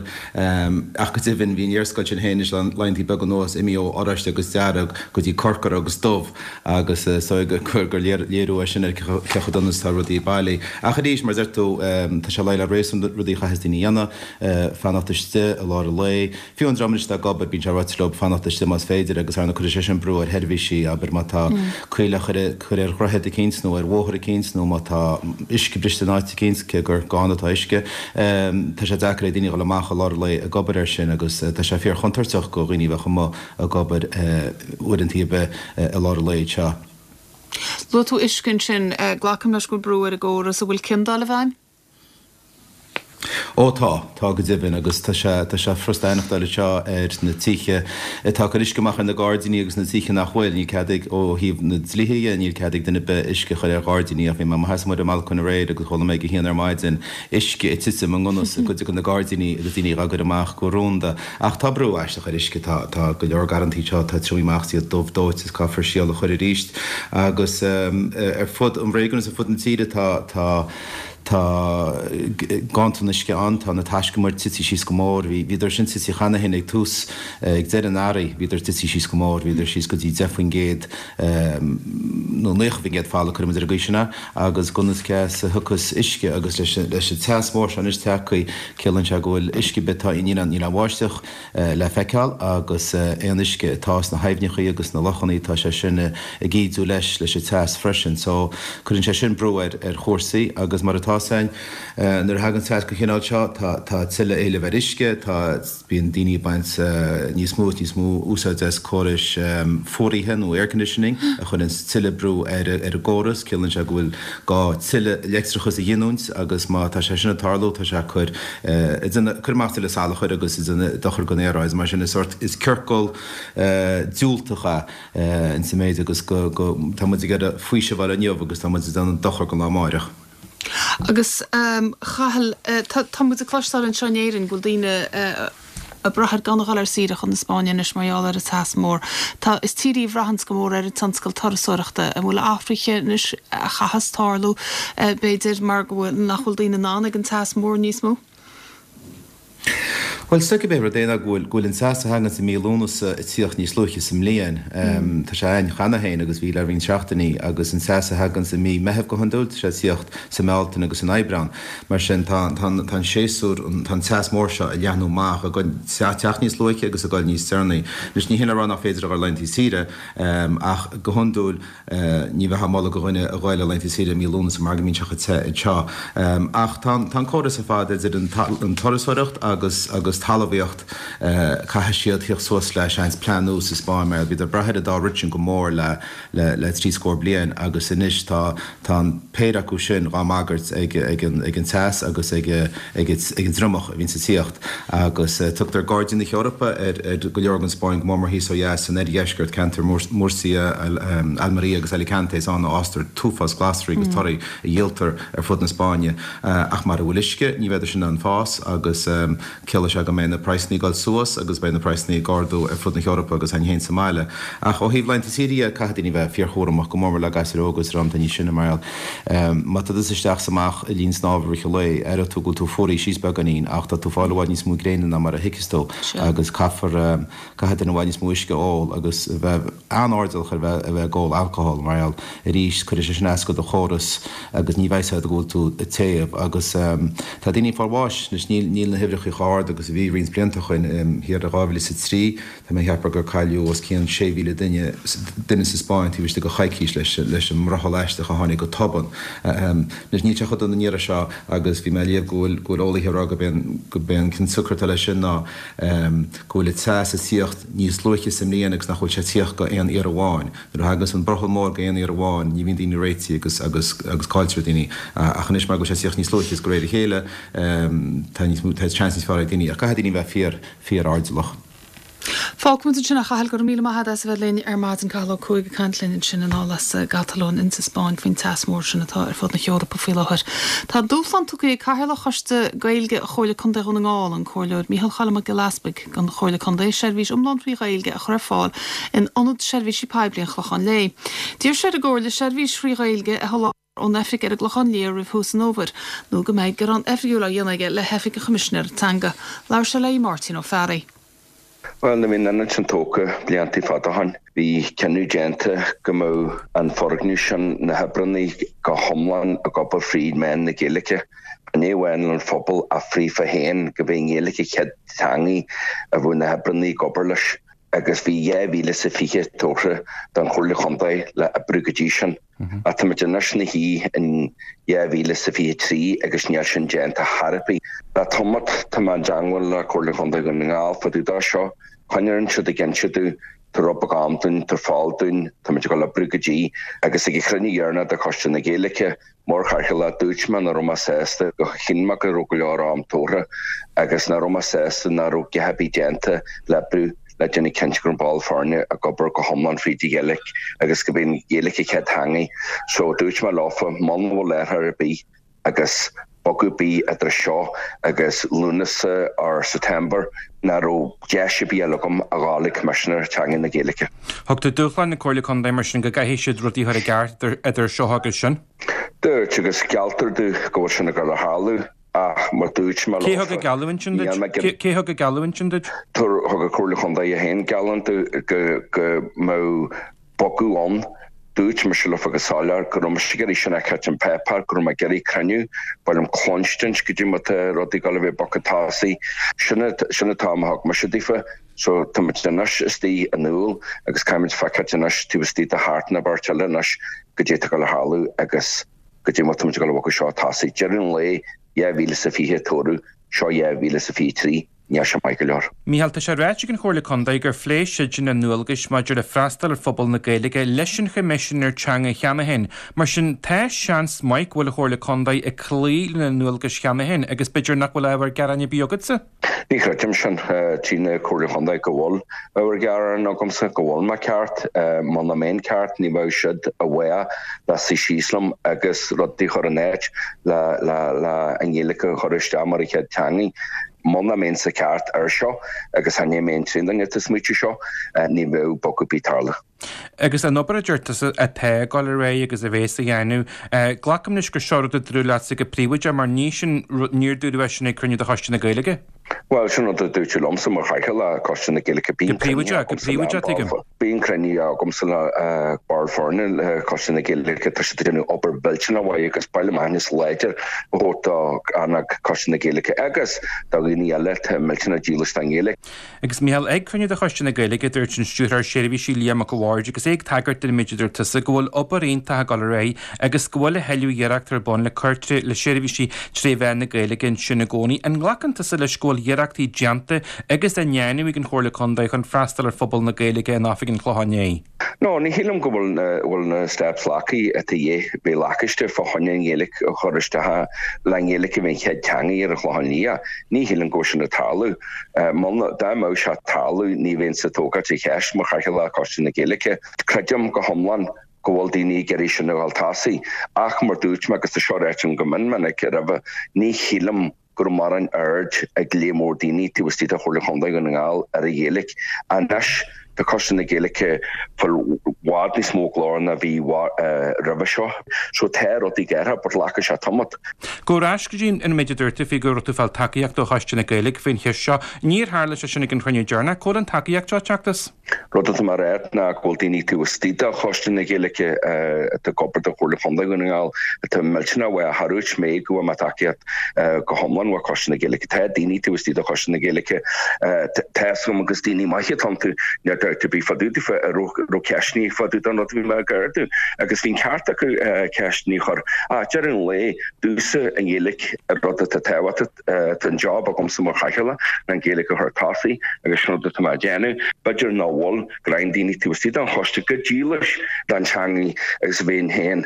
Ach go deimhin, bhí an léarscáil sin féin anois le laethantaí beaga anuas imithe ó oráiste agus dearg go dtí corcra agus dubh agus is dóigh gur léiriú é sin ar cé chomh dona is atá rudaí bailí. Ach arís, mar a deir tú, tá sé le réasún rudaí a chaithfeas daoine a dhéanamh. fanacht istigh i lár an lae. Fiú an dream anois atá ag obair, bíonn sé ráite leo fanacht istigh más féidir agus ar ndóigh cuirfidh sé sin brú ar sheirbhísí, abair má tá coill á cur ar dhroichead eicínt nó ar bhóthar eicínt nó má tá uisce briste in áit eicínt, cé gur gann atá uisce, tá sé deacair ag daoine a dhul amach i lár an lae ag obair air sin agus tá sé fíor-chontúirteach go dhaoine a bheadh amuigh ag obair uaireanta ar bith i lár an lae anseo. Luaigh tú uisce ansin. Glacaim leis go bhfuil brú ar an gcóras. An bhfuil ciondáil i bhfeidhm? Ó tá, tá go deimhin, agus tá sé, tá sé furasta aithneachtáil anseo ar na tithe atá ag cur uisce amach ar na gairdíní agus na tithe nach bhfuil. Níl cead ag, ó thaobh na dlíthe dhe, níl cead ag duine ar bith uisce a chur ar ghairdíní ach bhí mé i mo sheasamh amuigh ar an mbalcóin aréir agus chuala mé ag a haon ar maidin uisce ag titim i ngan fhios i gcuid de na gairdíní agus daoine dhá gcur amach go rúnda. Ach tá brú aisteach ar uisce, tá, tá go leor garrantaí anseo atá triomaithe amach is iad dubh dóite is caithfear síol a chur arís agus ar fud an réigiúin is ar fud na tíre tá, tá, Tá ganntan uisce ann, tá na taiscumair tite síos go mór. Bhí, bhíodar sin tite cheana féin ag tús, ag deireadh an earraigh, bhíodar tite síos go mór, bhíodar síos go dtí 10% nó 90% folmha, cuirfidh muid ar an gcaoi sin é, agus gan fhios cé as a thiocfas uisce agus leis an, leis an teas mór seo anois tagtha, ciallaíonn sé go bhfuil uisce ar bith atá, níl aon, níl aon bháisteach. le feiceáil agus aon uisce atá sna haibhneachaí agus sna lochannaí tá sé sin ag ídiú leis leis an teas freisin so cuireann sé sin brú ar ar chúrsaí agus mar atá 's againn nuair a thagann teas den chineál seo tá tá tuilleadh éilimh ar uisce tá bíonn daoine ag baint níos mó is níos mó úsáid as córais fuaraithe nó air conditioning a chuireann tuilleadh brú ar ar an gcóras ciallaíonn sé go bhfuil gá tuilleadh leictreachas a ghiniúint agus má tá sé sin ag tarlú tá sé ag cur ag déanamh, cur amach tuilleadh salachair agus ag déanamh dochar don aeráid. Mar sin is sórt, is ciorcal diúltach é insa méid agus go, go, tá muid ag iarraidh faoiseamh a fháil inniu agus tá muid ag déanamh dochar don lá amáireach. Agus a Chathail, tá, tá muid ag cloisteáil anseo in Éirinn go bhfuil daoine ag brath ar gan a dhul ar saoire chun na Spáinne anois mar gheall ar an teas mór. Tá, is tír í a bhraitheanns go mór ar an tionscal turasóireachta. An bhfuil athruithe anois a chaitheas tarlú, b'fhéidir, mar go bhfuil, nach bhfuil daoine in ann ag an teas mór níos mó? Bhuel, is dóigh cibé rud é ná go bhfuil, go bhfuil an teas a thaganns i mí Lúnasa ag tíocht níos luaithe sa mbliain. Tá sé a'ainn cheana féin agus bhí le roinnt seachtainí agus an teas a thaganns i mí Meitheamh go hiondúil, tá sé ag tíocht sa mBealtaine agus san Aibreán. Mar sin, tá, tá, tá an séasúr, tá an teas mór seo ag leathnú amach, ag teacht níos luaithe agus ag dul níos deireanaí. Anois, ní hin le rá nach féidir a dhul ar laethanta saoire, ach go hiondúil ní bheifeá ag moladh do dhuine a dhul ar laethanta saoire i mí Lúnasa mar go mbíonn sé chomh te anseo. Ach tá, tá an córas ar fad idir an, an turasóireacht agus, agus. talmhaíocht, caithfidh siad theacht suas le seans plean nua sa Spáinn mar bhíodar ag brath ar an dá rud sin go mór le le trí scór bliain agus anois tá tá an péire acu sin dhá mbagairt ag ag an ag an teas agus ag ag ag an dtriomach a bhíonns ag tíocht agus tugtar Gairdín na hEorpa ar ar go leor den Spáinn go mór mór thíos ó dheas san oirdheisceart ceantar Murcia, Almería agus Alicante is ann a fhástar an t-uafás glasraí agus torthaí a dhíoltar ar fud na Spáinne ach mara bhfuil uisce ní bheidh sin in ann fás agus Ciallóidh sé go mbeidh na praghsanna ag dul suas agus beidh na praghsanna ag ardú ar fud na hEorpa agus againn féin sa mbaile. Ach ó thaobh laethanta saoire dhe, caithfidh daoine bheith fíorchúramach, go mór mór le gasúir óga is dream atá níos sine mar gheall. Má tá tusa isteach is amach i linn snámha i rith an lae, aireoidh tú go bhfuil tú fuaraithe síos beagáinín ach tá tú ag fáil i bhfad níos mó gréine ná mar a thuigfeas tú agus caithfear Caithfidh duine i bhfad níos mó uisce a ól agus a bheith an-airdeallach ar bheith a bheith ag ól alcohol mar gheall arís cuirfidh sé sin as do do chóras agus ní bheidh a fhios agat go bhfuil tú ag téamh agus tá daoine ag fáil bháis anois níl níl na huimhreacha chomh hard agus a bhí roinnt blianta ó shoin thiar i 2003 tá mé ag ceapadh gur cailleadh os cionn 6,000 duine duine sa Spáinn taobh istigh de choicís leis leis an mbrothall aisteach a tháinig go tobann anois níl sé chomh dona an iarraidh seo agus bhí mé ag léamh go bhfuil go bhfuil eolaithe ag rá go b'é an go b'é an cionsiocair atá leis sin ná go bhfuil an teas ag tíocht níos luaithe sa mbliain agus nach bhfuil sé ag tíocht go aon iarraidh amháin. Nuair a thagas an brothall mór go aon iarraidh amháin ní bhíonn daoine réitithe agus agus agus cailltear daoine. Ach anois mar go bhfuil sé ag tíocht níos luaithe is de réir a chéile tá níos mó tá seans níos fearr ag daoine. Ach caithfidh daoine bheith fíor fíor airdeallach. Fágfaimid ansin é a Chathail, go raibh míle maith agat as a bheith linn ar maidin. Cathal Ó Cuaig ag caint linn ansin anall as an gCatalóin insa Spáinn faoin teas mór sin atá ar fud na hEorpa faoi láthair. Tá dúshlán tugtha ag Cathaoirleach Choiste Gaeilge Chomhairle Contae Dhún na nGall, an Comhairleoir Micheál Choilm Mac Giolla Easpaig, don Chomhairle Contae seirbhís iomlán thrí Ghaeilge a chur ar fáil in Ionad Seirbhísí Poiblí an Chlocháin Léith. D'iarr sé ar an gComhairle seirbhís thrí Ghaeilge a sholáthar ón oifig ar an gClochán Liath roimh thús an fhómhair, nó go mbeidh gearán oifigiúil á dhéanamh aige le hOifig an Choimisinéara Teanga. Labhair sé le Máirtín Ó Fearraigh. Bhuel, nuair a bhí an ionad sin tógtha blianta fada ó shin, bhí cinneadh déanta go mbeadh an foirgneamh sin, na hoibreanna go hiomlán ag obair fríd mheán na Gaeilge. Ní amháin don phobal ach fríofa féin, go mb'í an Ghaeilge an chéad teangaidh a bheadh na hoibreanna ag obair leis. Agus bhí 2020 tabhartha don Chomhairle Chontae le oibriú go dtí sin. Ach táimid anois ina shuí in 2023 agus níl sin déanta chor ar bith. Le tamall tá mé i dteangmháil le Comhairle Chontae Dhún na nGall fá dtaobh de seo. Coinníonn siad ag inse domh, tabhair rud beag am dúinn, tabhair faill dúinn, táimid ag dul oibriú go dtí. Agus ag an chruinniú dheireanach de Choiste na Gaeilge, Mar chathaoirleach, dúirt mé nach raibh mé sásta, go chinn mé go raibh go leor am tabhartha agus nach raibh mé sásta nach raibh a dhath ar bith déanta le oibriú le déanamh cinnte go raibh ball foirne ag obair go hiomlán fríd an Ghaeilge agus go mb'í an Ghaeilge an chéad teangaidh. So dúirt mé leofa, muna bhfuil athrú ar bith agus bogadh ar bith idir seo agus Lúnasa or September nach raibh deis ar bith eile agam a ghabháil ag Coimisinéir Teanga na Gaeilge. Thug tú dúshlán na Comhairle Contae mar sin go gcaithfidh siad rudaí a chur i gceart idir seo agus sin? Dúirt, agus gealltar domh go bhfuil sin ag dul a tharlú, ach mar dúirt mé Cé thug an geallúint sin duit? Cé thug an geallúint sin duit? Thug an Chomhairle Chontae féin geallúint domh go mbeadh bogadh ann. Dúirt mise leofa go soiléir go raibh mise ag iarraidh sin a fheiceáilt ar an páipéar, go raibh mé ag iarraidh cruinniú, ba mhaith liom cluinstint goidé mar tá rudaí ag dul a bheith bogtha tosaigh. Sin an t-am a thug mise daofa. So tá muid anois istigh in Iúil agus caithfimid feiceáilt anois taobh istigh de sheachtain nó beirt eile anois goidé atá ag dul a tharlú agus goidé mar tá muid ag dul a bhogadh seo tosaigh. Deireadh an lae, 2020 toradh, seo 2023. Níl sé maith go leor. Mícheál, tá sé ráite ag an Chomhairle Contae gur phléigh siadsan a ndualgais maidir le freastal ar phobal na Gaeilge leis an Choimisinéir Teanga cheana féin. Mar sin, tá seans maith go bhfuil an Chomhairle Contae ag cloí lena ndualgais cheana féin agus b'fhéidir nach bhfuil ábhar gearáin ar bith agatsa? Ní chreidim sin. Trí na Comhairle Chontae go bhfuil ábhar gearáin agamsa, go bhfuil mé ceart. Muna mbeinn ceart, ní bheadh siad i bhfách le suí síos liom agus rudaí a chur in áit le le an Ghaeilge a chur isteach mar an chéad teangaidh. Muna mbeinnse ceart air seo, agus chan é mé an t-aon duine atá ag smaoitiú seo, ní bheadh bogadh ar bith tarlú. Agus an obair a deir tusa atá ag dul ar aghaidh agus a bhéas á dhéanamh, glacaim leis gur seo rud a dúradh leatsa go príobháideach mar ní sin, níor dúradh é sin ag cruinniú de Choiste na Gaeilge. Bhuel, sin rud a dúirt liomsa mar chathaoirleach Coiste na Gaeilge. Go príobháideach, go príobháideach, tuigim. Bíonn cruinnithe agamsa le baill foirne le Coiste na Gaeilge, tá siad ag déanamh obair mhillteanach mhaith agus ba mhaith liom aitheantas láidir a thabhairt do RnaG Coiste na Gaeilge agus do dhaoine eile atá millteanach dílis don Ghaeilge. Agus Mícheál, ag cruinniú de Choiste na Gaeilge, dúirt an Stiúrthóir Seirbhísí Liam Mac a' Bhaird agus é. é ag tagairt don méid a dúirt tusa, go bhfuil obair iontach ag dul ar aghaidh agus go bhfuil a thuilleadh iarracht ar bun le cur le seirbhísí tré mheán na Gaeilge ansin i gcónaí. An nglacann tusa leis go bhfuil iarrachtaí déanta agus á ndéanamh ag an Chomhairle Contae chun freastal ar phobal na Gaeilge in Oifig an Chlocháin Léith? No, ní shílim go bhfuil bhfuil na steps glactha atá de dhíth bheith lacáiste fá choinne an Ghaeilge a chur isteach le an Ghaeilge a bheith an chéad teanga ar an Chlochán Liath. Ní shílim go bhfuil sin ag tarlú. Muna, dá mbeadh sé ag tarlú ní bheinnse ag tógáilt an cheist mar chathaoirleach Choiste na Gaeilge. Creidim go hiomlán go bhfuil daoine ag iarraidh sin a dhul tosaigh ach mar dúirt mé agus tá seo ráite agam go mion minic roimhe, ní shílim go raibh mórán aird ag lear mór daoine taobh istigh de Chomhairle Chontae Dhún na nGall ar an Ghaeilge. Anois tá Coiste na Gaeilge ag fáil i bhfad níos mó glór ná bhí roimhe seo. So tá rudaí ag athrú but glacfaidh sé tamall. Gabh ar ais go dtí an méid a dúirt tú faoi go raibh tú ag fáil tacaíocht ó Choiste na Gaeilge faoin cheist seo. Níor tharla sé sin ag an chruinniú deireanach. Cá bhfuil an tacaíocht seo ag teacht as? Rud atá mé a rá ná go bhfuil daoine taobh istigh de Choiste na Gaeilge atá ag obair do Chomhairle Chontae Dhún na nGall atá millteanach mhaith. Cha dúirt mé go bhfuil mé tacaíocht go hiomlán ó Choiste na Gaeilge. Tá daoine taobh istigh de Choiste na Gaeilge tá fhios agam agus daoine maithe atá iontu, níl dabht ar bith fá dtaobh daofa a raibh ceisteanna fá dtaobh den rud a bhí mé ag ardú agus bhí an ceart acu ceisteanna a chur. Ach deireadh an lae, domhsa an Ghaeilge an rud atá tábhachtach. Tá an job agamsa mar chathaoirleach ná an Ghaeilge a chur tosaigh agus sin rud atá mé a déanamh. B'fhéidir nach bhfuil roinnt daoine taobh istigh den choiste chomh dílis don teangaidh agus a bheinn féin.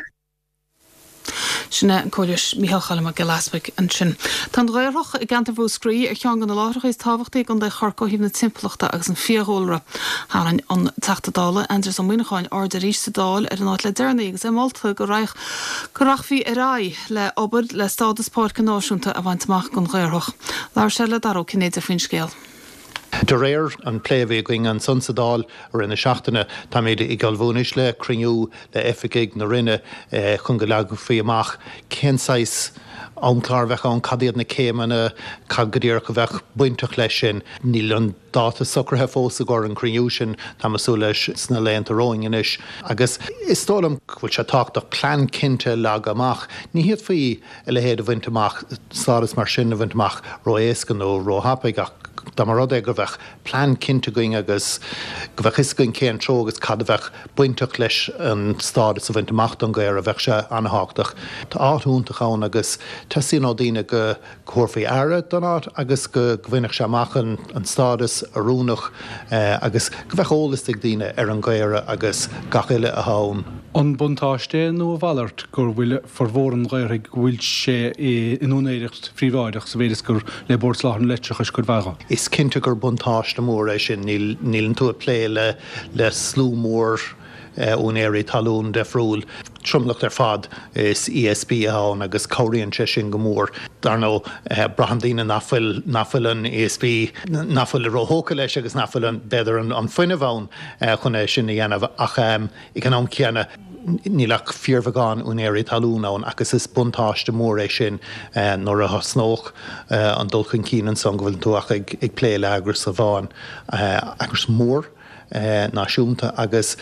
Sin é an Comhairleoir Micheál Choilm Mac Giolla Easbuig ansin. Tá an Ghaorthadh i gceantar Mhúscraí ar cheann de na láithreacha is tábhachtaí i gContae Chorcaí ó thaobh na timpeallachta agus an fiadhúlra. Tharraing an Teachta Dála Aindrias Ó Muimhneacháin aird arís sa Dáil ar an áit le deireanaí agus é molta go raghadh go rachfaí ar aghaidh le obair le stádas páirce náisiúnta a bhaint amach don Ghaorthadh. Labhair sé le Dara Ó Cinnéide faoin scéal. De réir an plé a bhí againn ansan sa Dáil i rith na seachtaine, táimid ag ullmhú anois le cruinniú le oifigigh na Roinne chun go leagfaí amach cén saghas amchlár a bheadh ann, cad iad na céimeanna, cad go díreach a bheadh bainteach leis sin. Níl an dáta socraithe fós i gcomhair an cruinniú sin, táim ag súil leis sna laethanta romhainn anois. Agus is dóigh liom go bhfuil sé tábhachtach plean cinnte a leagadh amach. Ní fhéadfaí a leithéid a bhaint amach, stádas mar sin a bhaint amach ró-éasca nó ró-thapaidh ach dá mba rud é go bheadh plean cinnte againn agus go bheadh fhios againn cén treo agus cad a bheadh bainteach leis an stádas a bhaint amach don Ghaorthadh, bheadh sé an-thábhachtach. Tá áit iontach ann agus teastaíonn ó daoine go thabharfaí aire don áit agus go mbainfeadh sé amach an stádas oiriúnach agus go bheadh eolas ag daoine ar an Ghaorthadh agus gach uile atá ann. An buntáiste é nó a mhalairt gur bhfuil formhór an Ghaorthaidh go bhfuil sé in úinéireacht phríobháideach sa mhéid is gur le Bord Soláthair na Leictreachais cuid mhaith dho? Is cinnte gur buntáiste mór é sin. Níleann tú ag plé le slua mór úinéirí talún difriúil. Tromlach ar fad is ESB atá ann agus cabhraíonn sé sin go mór. Dar ndóigh, braitheann daoine nach bhfuil, nach bhfuil an ESB, nach bhfuil róthógtha leis agus nach bhfuil an, b'fhéidir an fuinneamh ann chun é sin a dhéanamh ach ag an am céanna níl ach fíorbheagán úinéirí talún ann agus is buntáiste mór é sin nuair a thosnódh an dul chun cinn ansan go bhfuil tú ach ag plé le eagras amháin, eagras mór. náisiúnta agus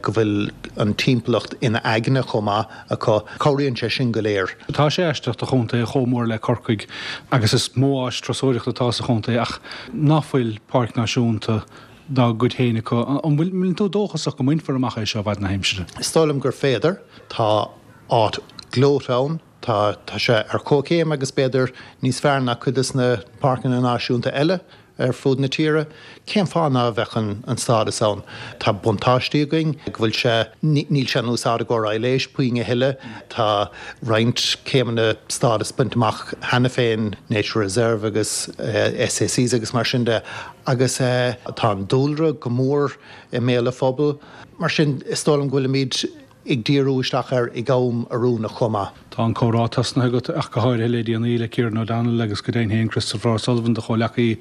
go bhfuil an timpeallacht ina aigne chomh maith acu. Cabhraíonn sé sin go léir. Tá sé aisteach do chontae chomh mór le Corcaigh agus is mó áis turasóireachta atá sa chontae ach ná fuil páirc náisiúnta dá gcuid féin acu. An bhfuil tú dóchasach go mbainfear amach é seo i bhfad na haimsire? Is dóigh liom gur féidir. Tá áit gleoite ann. Tá sé ar comhchéim agus b'fhéidir níos fearr ná cuid de na páirceanna náisiúnta eile ar fud na tíre. Cén fáth ná bheadh an stádas ann? Tá buntáistí againn go bhfuil sé, níl sé in úsáid i gcomhair aibhléis puinn a thuilleadh. Tá roinnt céimeanna stádas bainte amach cheana féin, Nature Reserve agus SACs agus mar sin de, agus tá an dúlra go mór i mbéal an phobail. Mar sin, is dóigh liom go bhfuilimid ag díriú isteach air ag am oiriúnach chomh maith. Tá an comhrá tosnaithe agat, ach go háirithe le déanaí, le Kieran O'Donnell agus go deimhin féin Christopher O'Sullivan, do chomhleacaí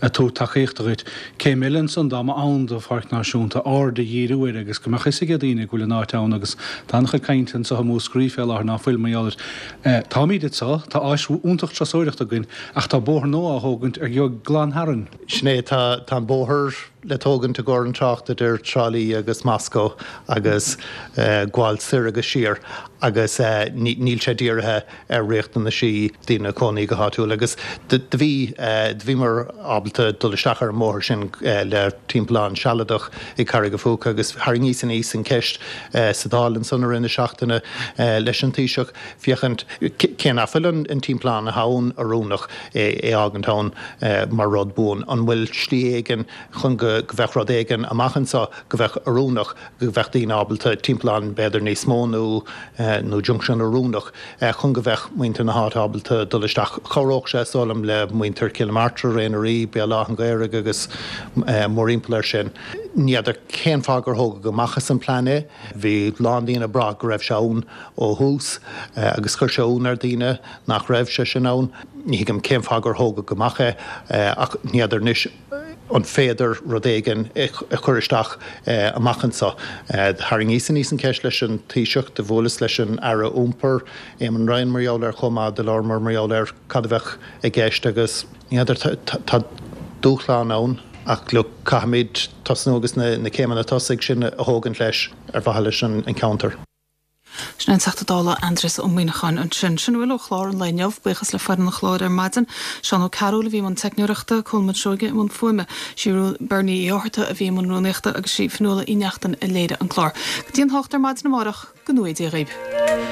ag tabhairt tacaíochta dhuit. Céim eile ansan, dá mba ann do Pháirc Náisiúnta, aird a dhíriú air agus go mbeadh fhios ag daoine go bhfuil an áit ann agus tá an-chuid cainte anso i Múscraí fé láthair ná fuil mar gheall air. Táimíd anso, tá áis iontach turasóireachta againn ach tá bóthar nua á thógaint ar glan tharainn. Sin é, tá an bóthar le tógaint i gcomhair an trácht idir Trá Lí agus Moscó agus gabháil soir agus siar agus níl. Níl sé dírithe ar riachtanaisí daoine cónaí go háitiúil agus do bhí, do bhíomar ábalta dul isteach ar an mbóthar sin le timpeallán sealadach i gCarraig a' Phúca agus tharraingíos aníos an cheist sa Dáil ansan i rith na seachtaine leis an Taoiseach féachaint cé nach bhfuil an timpeallán atá ann oiriúnach é a fhágaint ann mar rud buan. An bhfuil slí éigin chun go bheadh rud éigin amach anso go bheadh oiriúnach, go bheadh daoine ábalta timpeallán b'fhéidir níos mó nó nó junction oiriúnach chun go bheadh muintir na háite ábalta dul isteach. Chabhródh sé, is dóigh liom, le muintir Chill na Martra, Ré na Rí, Béal Átha an Ghaorthaidh agus mórthimpeall air sin. Ní fheadar cén fáth gur thógadh amach as an plean é. Bhí a lán daoine ag brath go raibh sé ann ó thús agus chuir sé ionadh ar daoine nach raibh sé sin ann. Ní thuigim cén fáth gur thógadh amach é ach ní fheadar anois an féidir rud éigin a chur isteach amach anso. Tharraingíos aníos an cheist leis an Taoiseach, do bhuaileas leis an Aire Iompair, Eamon Ryan mar gheall air chomh maith, do labhramar mar gheall ar cad a bheadh i gceist agus ní fheadar, tá dúshlán ann ach look, caithfimid tosnú agus na céimeanna tosaigh sin a thógaint leis ar mhaithe leis an cheantar. Sin é an Teachta Dála Aindrias Ó Muíneacháin ansin. Sin a bhfuil ó chlár an lae inniu. Buíochas le foireann an chláir ar maidin. Seán Ó Cearúil a bhí i mbun teicneoireachta, Colmán Seoige i mbun fuaime. Sí Bernie Uí Fhátharta a bhí i mbun rúnaíochta agus sí Fionnuala Uí Neachtain a léirigh an clár. Go dtí an hocht ar maidin amárach, go ngnóthaí Dia dhaoibh.